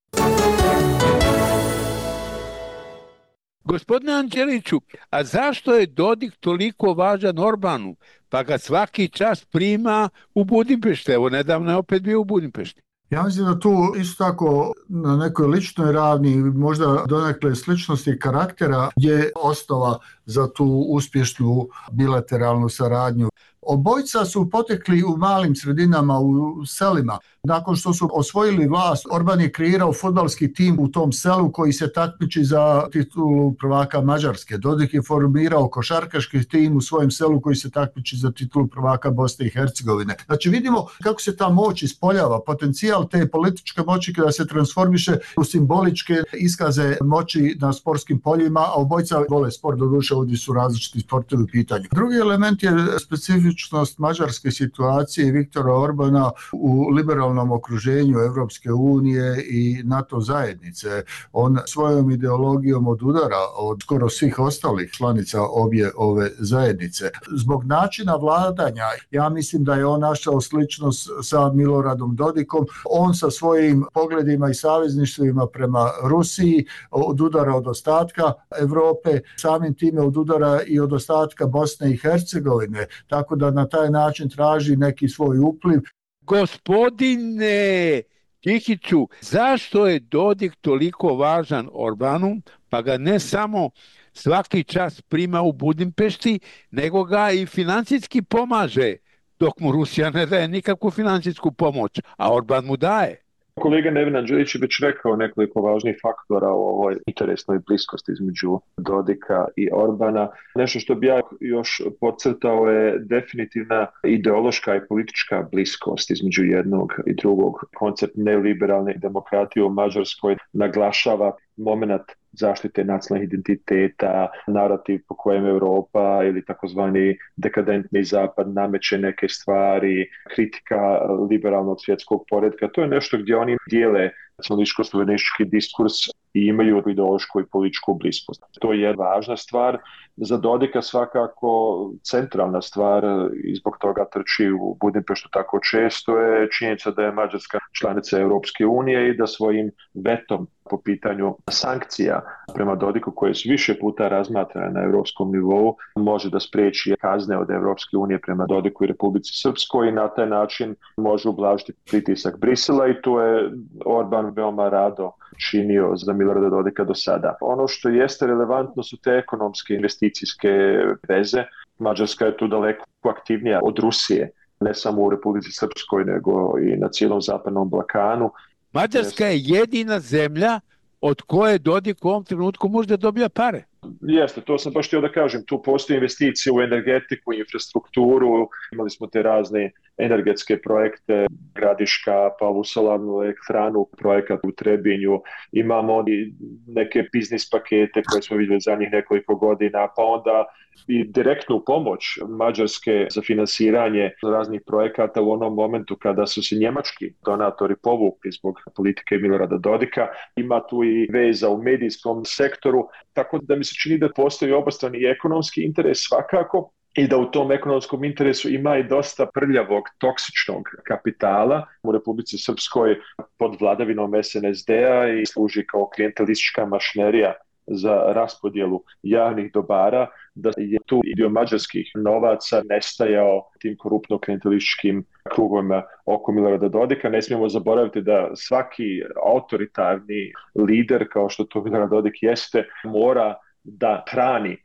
Gospodine Anđeliću, a zašto je Dodik toliko važan Orbanu, pa ga svaki čas prima u Budimpešti? Evo, nedavno je opet bio u Budimpešti. Ja mislim da tu isto tako na nekoj ličnoj ravni, možda donekle sličnosti karaktera, je osnova za tu uspješnu bilateralnu saradnju. Obojica su potekli u malim sredinama, u selima. Nakon što su osvojili vlast, Orban je kreirao fudbalski tim u tom selu koji se takmiči za titulu prvaka Mađarske. Dodik je formirao košarkaški tim u svojem selu koji se takmiči za titulu prvaka Bosne i Hercegovine. Znači vidimo kako se ta moć ispoljava, potencijal te političke moći kada se transformiše u simboličke iskaze moći na sportskim poljima, a obojica vole sport, doduše ovdje su različiti sportovi u pitanju. Drugi element je specifičnost mađarske situacije i Viktora Orbana u liberalnom okruženju Evropske unije i NATO zajednice. On svojom ideologijom odudara od skoro svih ostalih članica obje ove zajednice. Zbog načina vladanja, ja mislim da je on našao sličnost sa Miloradom Dodikom. On sa svojim pogledima i savezništvima prema Rusiji odudara od ostatka Evrope, samim time odudara i od ostatka Bosne i Hercegovine, tako da na taj način traži neki svoj upliv. Gospodine Džihiću, zašto je Dodik toliko važan Orbanu, pa ga ne samo svaki čas prima u Budimpešti, nego ga i financijski pomaže, dok mu Rusija ne daje nikakvu financijsku pomoć, a Orban mu daje? Kolega Neven Anđelić je već rekao nekoliko važnih faktora o ovoj interesnoj bliskosti između Dodika i Orbana. Nešto što bi ja još podcrtao je definitivna ideološka i politička bliskost između jednog i drugog. Koncept neoliberalne demokratije u Mađarskoj naglašava moment zaštite nacionalnih identiteta, narativ po kojem Europa ili takozvani dekadentni zapad nameće neke stvari, kritika liberalnog svjetskog poretka. To je nešto gdje oni dijele nacionalističko-suverenistički diskurs i imaju ideološku i političku bliskost. To je važna stvar. Za Dodika svakako centralna stvar i zbog toga trči u Budimpeštu tako često je činjenica da je Mađarska članica Europske unije i da svojim vetom po pitanju sankcija prema Dodiku, koje su više puta razmatrane na europskom nivou, može da spriječi kazne od Europske unije prema Dodiku i Republici Srpskoj i na taj način može ublažiti pritisak Brisela i tu je Orban veoma rado činio za Milorada Dodika do sada. Ono što jeste relevantno su te ekonomske investicijske veze. Mađarska je tu daleko aktivnija od Rusije, ne samo u Republici Srpskoj, nego i na cijelom zapadnom Balkanu. Mađarska je jedina zemlja od koje Dodik u ovom trenutku možda dobija pare. Jeste, to sam baš htio da kažem. Tu postoje investicije u energetiku, infrastrukturu, imali smo te razne energetske projekte, Gradiška, pa ovu solarnu elektranu, projekat u Trebinju, imamo i neke biznis pakete koje smo vidjeli zadnjih nekoliko godina, pa onda i direktnu pomoć Mađarske za finansiranje raznih projekata u onom momentu kada su se njemački donatori povukli zbog politike Milorada Dodika. Ima tu i veza u medijskom sektoru, tako da mi se čini da postoji obostrani i ekonomski interes svakako i da u tom ekonomskom interesu ima i dosta prljavog, toksičnog kapitala u Republici Srpskoj pod vladavinom SNSD-a i služi kao klijentelistička mašinerija za raspodjelu javnih dobara, da je tu i dio mađarskih novaca nestajao tim koruptno-klijentelističkim krugovima oko Milorada Dodika. Ne smijemo zaboraviti da svaki autoritarni lider, kao što to Milorad Dodik jeste, mora da hrani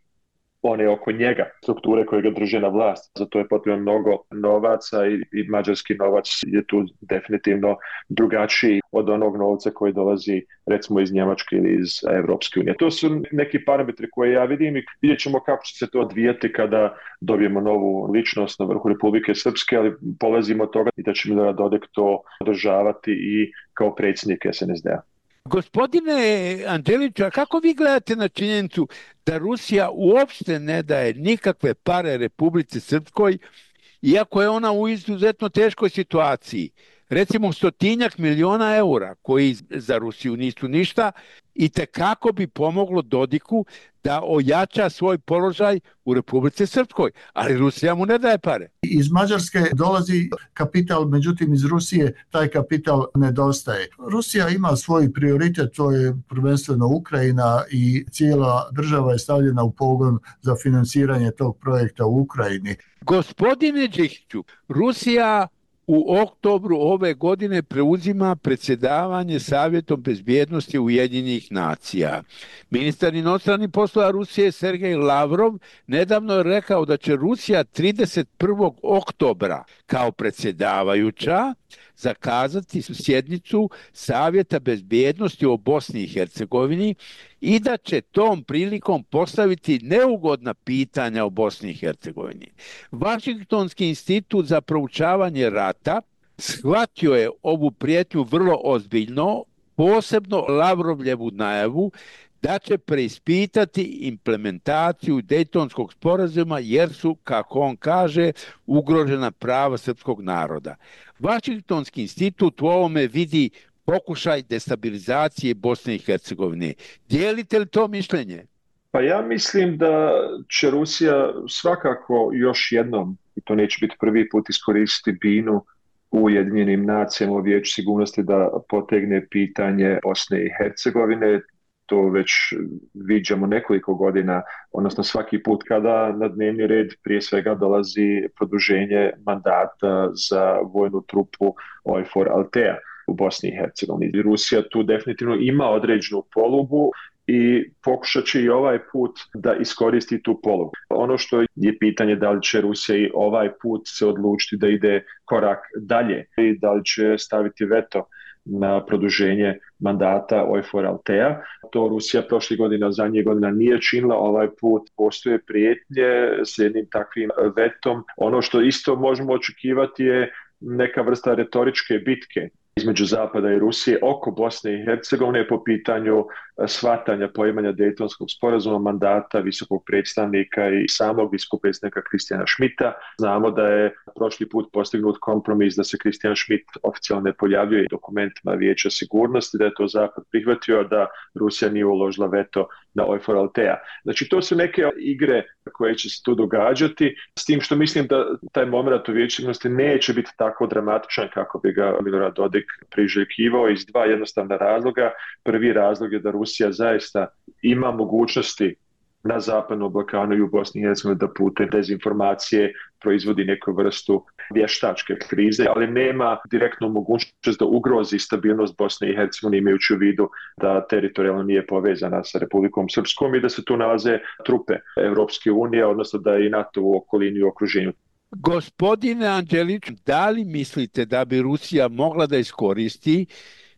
one oko njega, strukture koje ga drže na vlast. Zato je potrebno mnogo novaca i mađarski novac je tu definitivno drugačiji od onog novca koji dolazi recimo iz Njemačke ili iz Evropske unije. To su neki parametri koje ja vidim i vidjet ćemo kako će se to odvijati kada dobijemo novu ličnost na vrhu Republike Srpske, ali polazimo od toga i da će Milorad Dodik to održavati i kao predsjednik SNSD-a. Gospodine Anđeliću, a kako vi gledate na činjenicu da Rusija uopšte ne daje nikakve pare Republici Srpskoj iako je ona u izuzetno teškoj situaciji. Recimo 100 miliona eura koji za Rusiju nisu ništa i tekako bi pomoglo Dodiku da ojača svoj položaj u Republici Srpskoj, ali Rusija mu ne daje pare. Iz Mađarske dolazi kapital, međutim iz Rusije taj kapital nedostaje. Rusija ima svoj prioritet, to je prvenstveno Ukrajina i cijela država je stavljena u pogon za financiranje tog projekta u Ukrajini. Gospodine Đikiću, Rusija u oktobru ove godine preuzima predsjedavanje Savjetom bezbjednosti Ujedinjenih nacija. Ministar inostranih poslova Rusije Sergej Lavrov nedavno je rekao da će Rusija 31. oktobra kao predsjedavajuća zakazati sjednicu Savjeta bezbjednosti o Bosni i Hercegovini i da će tom prilikom postaviti neugodna pitanja o Bosni i Hercegovini. Vašingtonski institut za proučavanje rata shvatio je ovu prijetnju vrlo ozbiljno, posebno Lavrovljevu najavu da će preispitati implementaciju Dejtonskog sporazuma jer su, kako on kaže, ugrožena prava srpskog naroda. Vašingtonski institut u ovome vidi pokušaj destabilizacije Bosne i Hercegovine. Dijelite li to mišljenje? Pa ja mislim da će Rusija svakako još jednom, i to neće biti prvi put, iskoristiti binu u Ujedinjenim nacijama u Vijeću sigurnosti da potegne pitanje Bosne i Hercegovine. To već viđamo nekoliko godina, odnosno svaki put kada na dnevni red prije svega dolazi produženje mandata za vojnu trupu OIFOR Altea u Bosni i Hercegovini. Rusija tu definitivno ima određenu polugu i pokušat će i ovaj put da iskoristi tu polugu. Ono što je pitanje da li će Rusija i ovaj put se odlučiti da ide korak dalje i da li će staviti veto na produženje mandata OIFOR Altea. To Rusija prošlih godina, zadnjih godina nije činila, ovaj put postoje prijetnje s jednim takvim vetom. Ono što isto možemo očekivati je neka vrsta retoričke bitke između Zapada i Rusije oko Bosne i Hercegovine po pitanju shvatanja poimanja Dejtonskog sporazuma, mandata visokog predstavnika i samog visokog predstavnika Kristijana Schmidta. Znamo da je prošli put postignut kompromis da se Kristijan Schmidt oficijalno ne pojavljuje u dokumentima Vijeća sigurnosti, da je to Zapad prihvatio, da Rusija nije uložila veto na OIFOR Altea. Znači to su neke igre koje će se tu događati, s tim što mislim da taj moment u Vijeću sigurnosti neće biti tako dramatičan kako bi ga Milorad Dodik priželjkivao iz dva jednostavna razloga. Prvi razlog je da Rusija zaista ima mogućnosti na zapadnom Balkanu i u Bosni i Hercegovini da putem dezinformacije proizvodi neku vrstu vještačke krize, ali nema direktnu mogućnost da ugrozi stabilnost Bosne i Hercegovine imajući u vidu da teritorijalno nije povezana sa Republikom Srpskom i da se tu nalaze trupe Europske unije, odnosno da je i NATO u okolini i okruženju. Gospodine Anđelić, da li mislite da bi Rusija mogla da iskoristi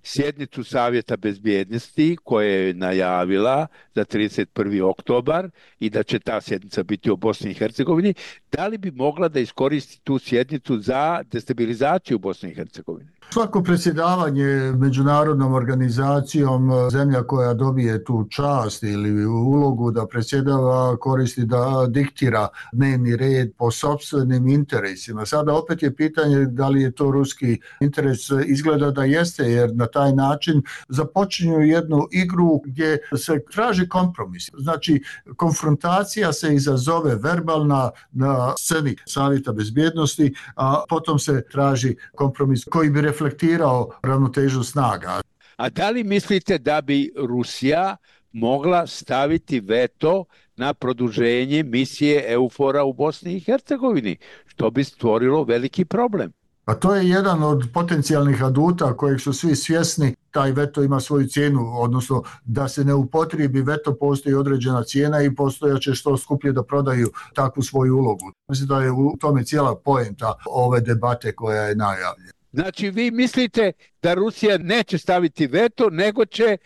sjednicu Savjeta bezbjednosti koje je najavila za 31. oktobar i da će ta sjednica biti o Bosni i Hercegovini, da li bi mogla da iskoristi tu sjednicu za destabilizaciju Bosne i Hercegovine? Svako predsjedavanje međunarodnom organizacijom, zemlja koja dobije tu čast ili ulogu da predsjedava, koristi da diktira dnevni red po sopstvenim interesima. Sada opet je pitanje da li je to ruski interes. Izgleda da jeste, jer na taj način započinju jednu igru gdje se traži kompromis. Znači, konfrontacija se izazove verbalna na sceni Savjeta bezbjednosti, a potom se traži kompromis koji bi reflektirao ravnotežu snaga. A da li mislite da bi Rusija mogla staviti veto na produženje misije EUFOR-a u Bosni i Hercegovini, što bi stvorilo veliki problem? A to je jedan od potencijalnih aduta kojeg su svi svjesni. Taj veto ima svoju cijenu, odnosno da se ne upotrijebi veto, postoji određena cijena i postojaće što skuplje da prodaju takvu svoju ulogu. Mislim da je u tome cijela poenta ove debate koja je najavljena. Znači vi mislite da Rusija neće staviti veto, nego će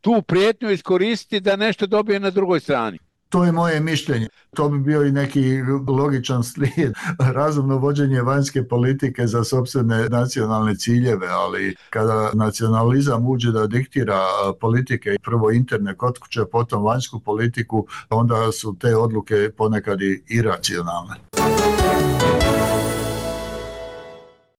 tu prijetnju iskoristiti da nešto dobije na drugoj strani? To je moje mišljenje. To bi bio i neki logičan slijed, razumno vođenje vanjske politike za sopstvene nacionalne ciljeve, ali kada nacionalizam uđe da diktira politike, prvo interne kod kuće, potom vanjsku politiku, onda su te odluke ponekad i iracionalne.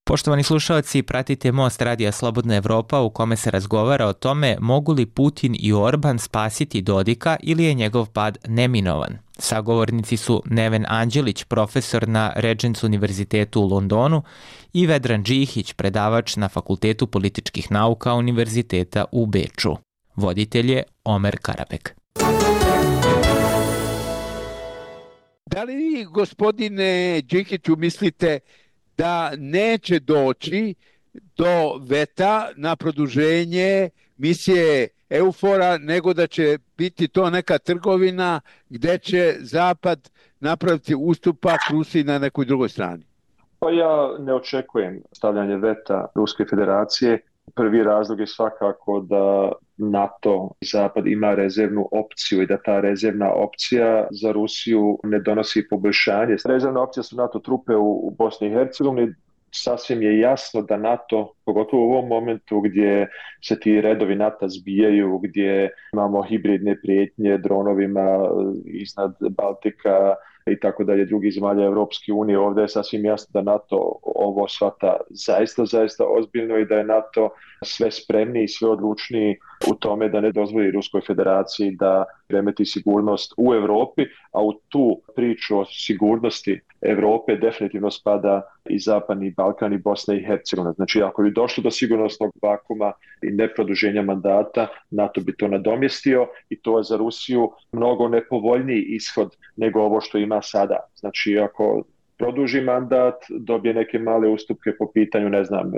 Poštovani slušalci, pratite Most Radija Slobodna Evropa u kome se razgovara o tome mogu li Putin i Orban spasiti Dodika ili je njegov pad neminovan. Sagovornici su Neven Anđelić, profesor na Regents univerzitetu u Londonu, i Vedran Džihić, predavač na Fakultetu političkih nauka Univerziteta u Beču. Voditelj je Omer Karabek. Da li vi, gospodine Džihiću, mislite da neće doći do veta na produženje misije EUFOR-a, nego da će biti to neka trgovina gdje će Zapad napraviti ustupak Rusiji na nekoj drugoj strani? Pa ja ne očekujem stavljanje veta Ruske federacije. Prvi razlog je svakako da NATO i Zapad ima rezervnu opciju i da ta rezervna opcija za Rusiju ne donosi poboljšanje. Rezervna opcija su NATO trupe u Bosni i Hercegovini. Sasvim je jasno da NATO, pogotovo u ovom momentu gdje se ti redovi NATO zbijaju, gdje imamo hibridne prijetnje dronovima iznad Baltika i tako dalje, drugih zemalja Europske unije, ovdje je sasvim jasno da NATO ovo shvata zaista ozbiljno i da je NATO sve spremniji i sve odlučniji u tome da ne dozvoli Ruskoj federaciji da remeti sigurnost u Europi, a u tu priču o sigurnosti Europe definitivno spada i Zapadni Balkan i Bosna i Hercegovina. Znači, ako bi došlo do sigurnosnog vakuma i neproduženja mandata, NATO bi to nadomjestio i to je za Rusiju mnogo nepovoljniji ishod nego ovo što ima sada. Znači, ako produži mandat, dobije neke male ustupke po pitanju, ne znam,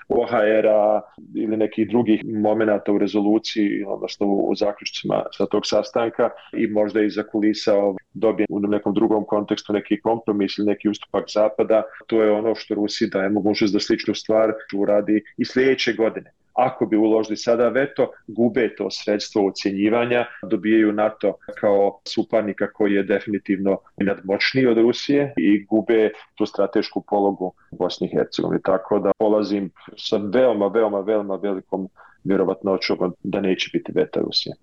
OHR-a ili nekih drugih momenata u rezoluciji, odnosno u zaključcima sa tog sastanka i možda iza kulisa dobije u nekom drugom kontekstu neki kompromis ili neki ustupak Zapada. To je ono što Rusiji daje mogućnost da sličnu stvar uradi i sljedeće godine. Ako bi uložili sada veto, gube to sredstvo ocjenjivanja, dobijaju NATO kao suparnika koji je definitivno nadmoćniji od Rusije i gube tu stratešku pologu u Bosni i Hercegovini. Tako da polazim sa veoma velikom vjerovatnoćom da neće biti veta Rusije.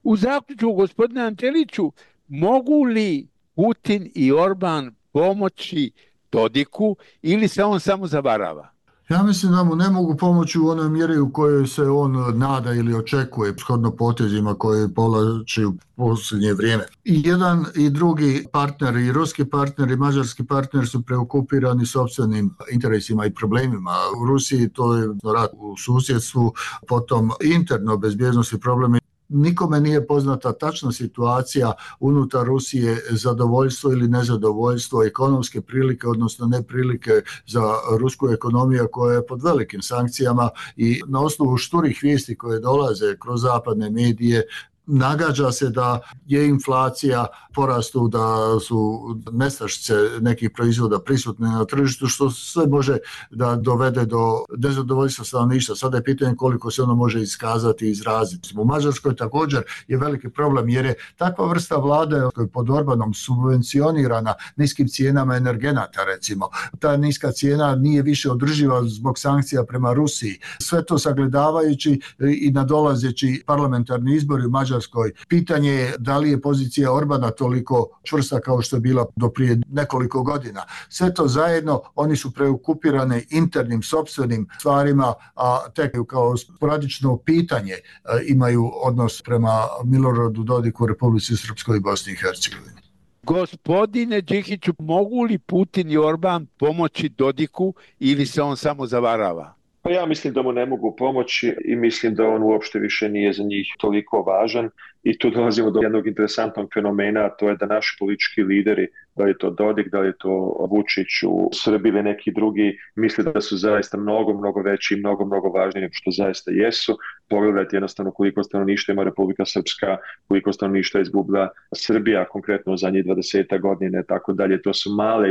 U zaključku, gospodine Anđeliću, mogu li Putin i Orban pomoći Dodiku ili se on samo zavarava? Ja mislim da mu ne mogu pomoći u onoj mjeri u kojoj se on nada ili očekuje shodno potezima koje povlači u posljednje vrijeme. I jedan i drugi partner, i ruski partner i mađarski partner su preokupirani sopstvenim interesima i problemima. U Rusiji to je rat u susjedstvu, potom interno bezbjednosti problemi. Nikome nije poznata tačna situacija unutar Rusije, zadovoljstvo ili nezadovoljstvo, ekonomske prilike, odnosno neprilike za rusku ekonomiju koja je pod velikim sankcijama i na osnovu šturih vijesti koje dolaze kroz zapadne medije nagađa se da je inflacija porastu, da su nestašice nekih proizvoda prisutne na tržištu, što sve može da dovede do nezadovoljstva stanovništva. Sada je pitanje koliko se ono može iskazati i izraziti. U Mađarskoj također je veliki problem jer je takva vrsta vlade koja je pod Orbanom subvencionirana niskim cijenama energenata, recimo. Ta niska cijena nije više održiva zbog sankcija prema Rusiji. Sve to sagledavajući i nadolazeći parlamentarni izbori u Mađarskoj, pitanje je da li je pozicija Orbana toliko čvrsta kao što je bila do prije nekoliko godina. Sve to zajedno, oni su preokupirane internim sopstvenim stvarima, a tek kao sporadično pitanje imaju odnos prema Miloradu Dodiku, Republici Srpskoj i Bosni i Hercegovini. Gospodine Džihiću, mogu li Putin i Orban pomoći Dodiku ili se on samo zavarava? Pa ja mislim da mu ne mogu pomoći i mislim da on uopšte više nije za njih toliko važan i tu dolazimo do jednog interesantnog fenomena, a to je da naši politički lideri, da li je to Dodik, da li je to Vučić u Srbiji ili neki drugi, misle da su zaista mnogo veći i mnogo važniji nego što zaista jesu. Pogledajte jednostavno koliko stanovništva ima Republika Srpska, koliko stanovništva izgubila Srbija, konkretno u zadnjih 20 godina i tako dalje. To su male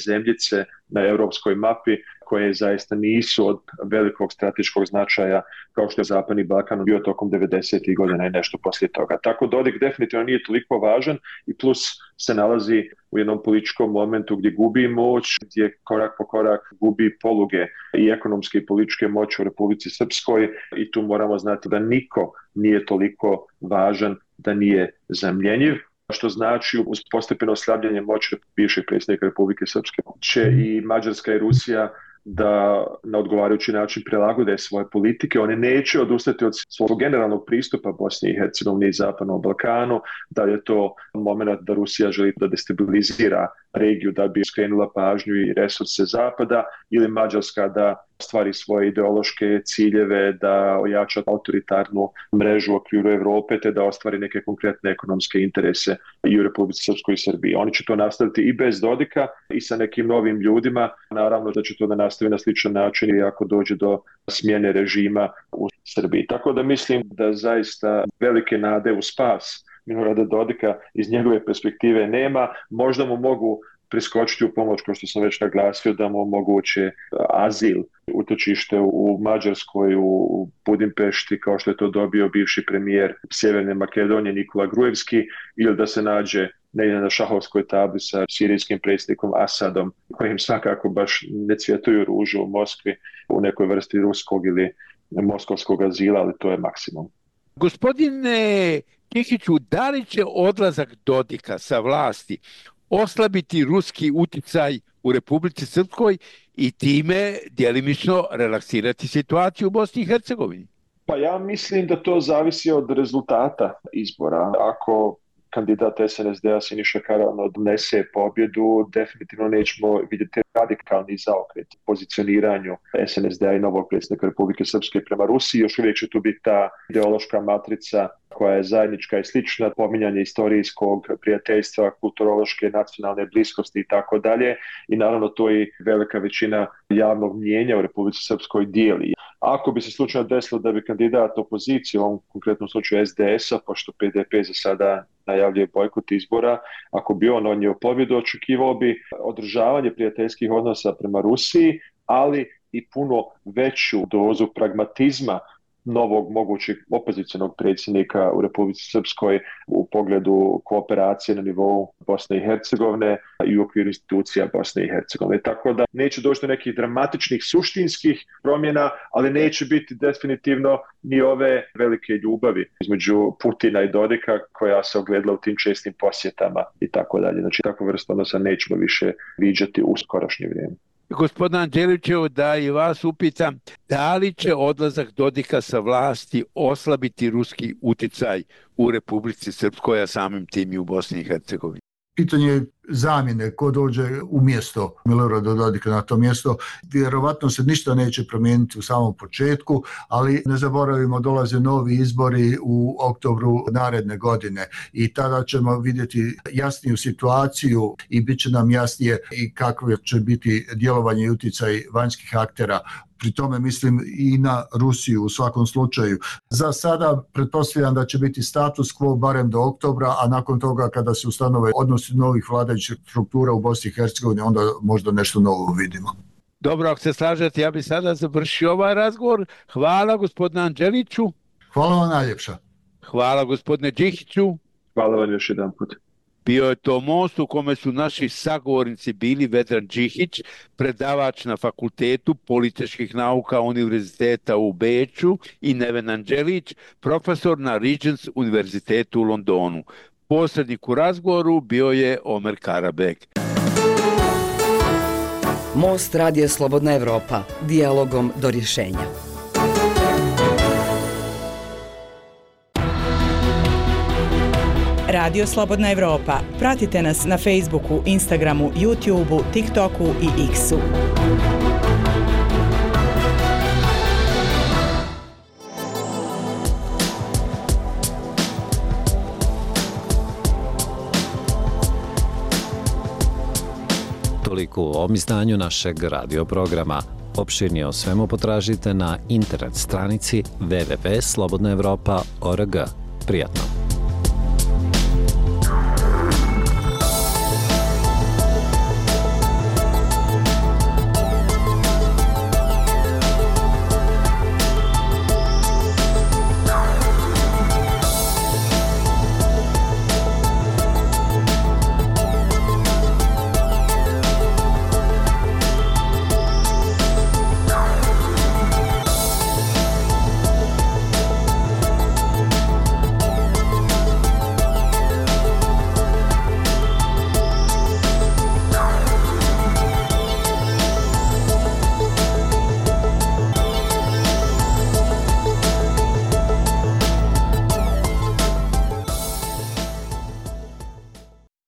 zemljice na europskoj mapi koje zaista nisu od velikog strateškog značaja kao što je Zapadni Balkan bio tokom 90. godina i nešto poslije toga. Tako Dodik definitivno nije toliko važan i plus se nalazi u jednom političkom momentu gdje gubi moć, gdje korak po korak gubi poluge i ekonomske i političke moći u Republici Srpskoj i tu moramo znati da niko nije toliko važan da nije zamjenjiv, što znači uz postepeno slabljenje moći bivšeg predsjednika Republike Srpske će i Mađarska i Rusija da na odgovarajući način prilagode svoje politike. Oni neće odustati od svog generalnog pristupa Bosni i Hercegovini i Zapadnom Balkanu, da je to moment da Rusija želi da destabilizira regiju da bi skrenula pažnju i resurse Zapada, ili Mađarska da stvari svoje ideološke ciljeve, da ojača autoritarnu mrežu u okviru Evrope, te da ostvari neke konkretne ekonomske interese i u Republici Srpskoj i Srbiji. Oni će to nastaviti i bez Dodika i sa nekim novim ljudima. Naravno da će to da nastavi na sličan način i ako dođe do smjene režima u Srbiji. Tako da mislim da zaista velike nade u spas Milorada Dodika iz njegove perspektive nema. Možda mu mogu priskočiti u pomoć, kao što sam već naglasio, da mu omoguće azil, utočište u Mađarskoj, u Budimpešti, kao što je to dobio bivši premijer Sjeverne Makedonije Nikola Gruevski, ili da se nađe negdje na šahovskoj tabli sa sirijskim predsjednikom Asadom, kojim svakako baš ne cvjetuju ružu u Moskvi, u nekoj vrsti ruskog ili moskovskog azila, ali to je maksimum. Gospodine Đikiću, da li će odlazak Dodika sa vlasti oslabiti ruski uticaj u Republici Srpskoj i time djelimično relaksirati situaciju u Bosni i Hercegovini? Pa ja mislim da to zavisi od rezultata izbora. Ako kandidat SNSD-a Siniša Karaman odnese pobjedu, definitivno nećemo vidjeti radikalni zaokret u pozicioniranju SNSD-a i novog predsjednika Republike Srpske prema Rusiji. Još uvijek će tu biti ta ideološka matrica koja je zajednička i slična, pominjanje istorijskog prijateljstva, kulturološke, nacionalne bliskosti i tako dalje. I naravno to i velika većina javnog mnijenja u Republici Srpskoj dijeli. Ako bi se slučajno desilo da bi kandidat opozicije, u ovom konkretnom slučaju SDS-a, pošto PDP za sada najavljuje bojkot izbora, ako bi on odnio pobjedu, očekivao bi održavanje prijateljskih odnosa prema Rusiji, ali i puno veću dozu pragmatizma novog mogućeg opozicionog predsjednika u Republici Srpskoj u pogledu kooperacije na nivou Bosne i Hercegovine i u okviru institucija Bosne i Hercegovine. Tako da neće doći do nekih dramatičnih suštinskih promjena, ali neće biti definitivno ni ove velike ljubavi između Putina i Dodika koja se ogledala u tim čestim posjetama i tako dalje. Znači takvu vrstu odnosa nećemo više viđati u skorašnje vrijeme. Gospodin Anđelićev, da i vas upitam, da li će odlazak Dodika sa vlasti oslabiti ruski uticaj u Republici Srpskoj, a samim tim i u Bosni i Hercegovini? Pitanje zamjene, ko dođe umjesto Milorada Dodika na to mjesto, vjerovatno se ništa neće promijeniti u samom početku, ali ne zaboravimo, dolaze novi izbori u oktobru naredne godine i tada ćemo vidjeti jasniju situaciju i bit će nam jasnije i kakvo će biti djelovanje i utjecaj vanjskih aktera. Pri tome mislim i na Rusiju u svakom slučaju. Za sada pretpostavljam da će biti status quo barem do oktobra, a nakon toga kada se ustanove odnosi novih vladajućih struktura u Bosni i Hercegovini, onda možda nešto novo vidimo. Dobro, ako se slažete, ja bih sada završio ovaj razgovor. Hvala gospodinu Anđeliću. Hvala vam najljepša. Hvala gospodine Đikiću. Hvala vam još jedan put. Bio je to most u kome su naši sagovornici bili Vedran Đikić, predavač na Fakultetu političkih nauka Univerziteta u Beču, i Neven Anđelić, profesor na Regents Univerzitetu u Londonu. Posrednik u razgovoru bio je Omer Karabek. Most Radija Slobodna Evropa. Dijalogom do rješenja. Radio Slobodna Evropa. Pratite nas na Facebooku, Instagramu, YouTubeu, TikToku i X-u. Toliko u ovom izdanju našeg radio programa. Opširnije o svemu potražite na internet stranici www.slobodnaevropa.org. Prijatno!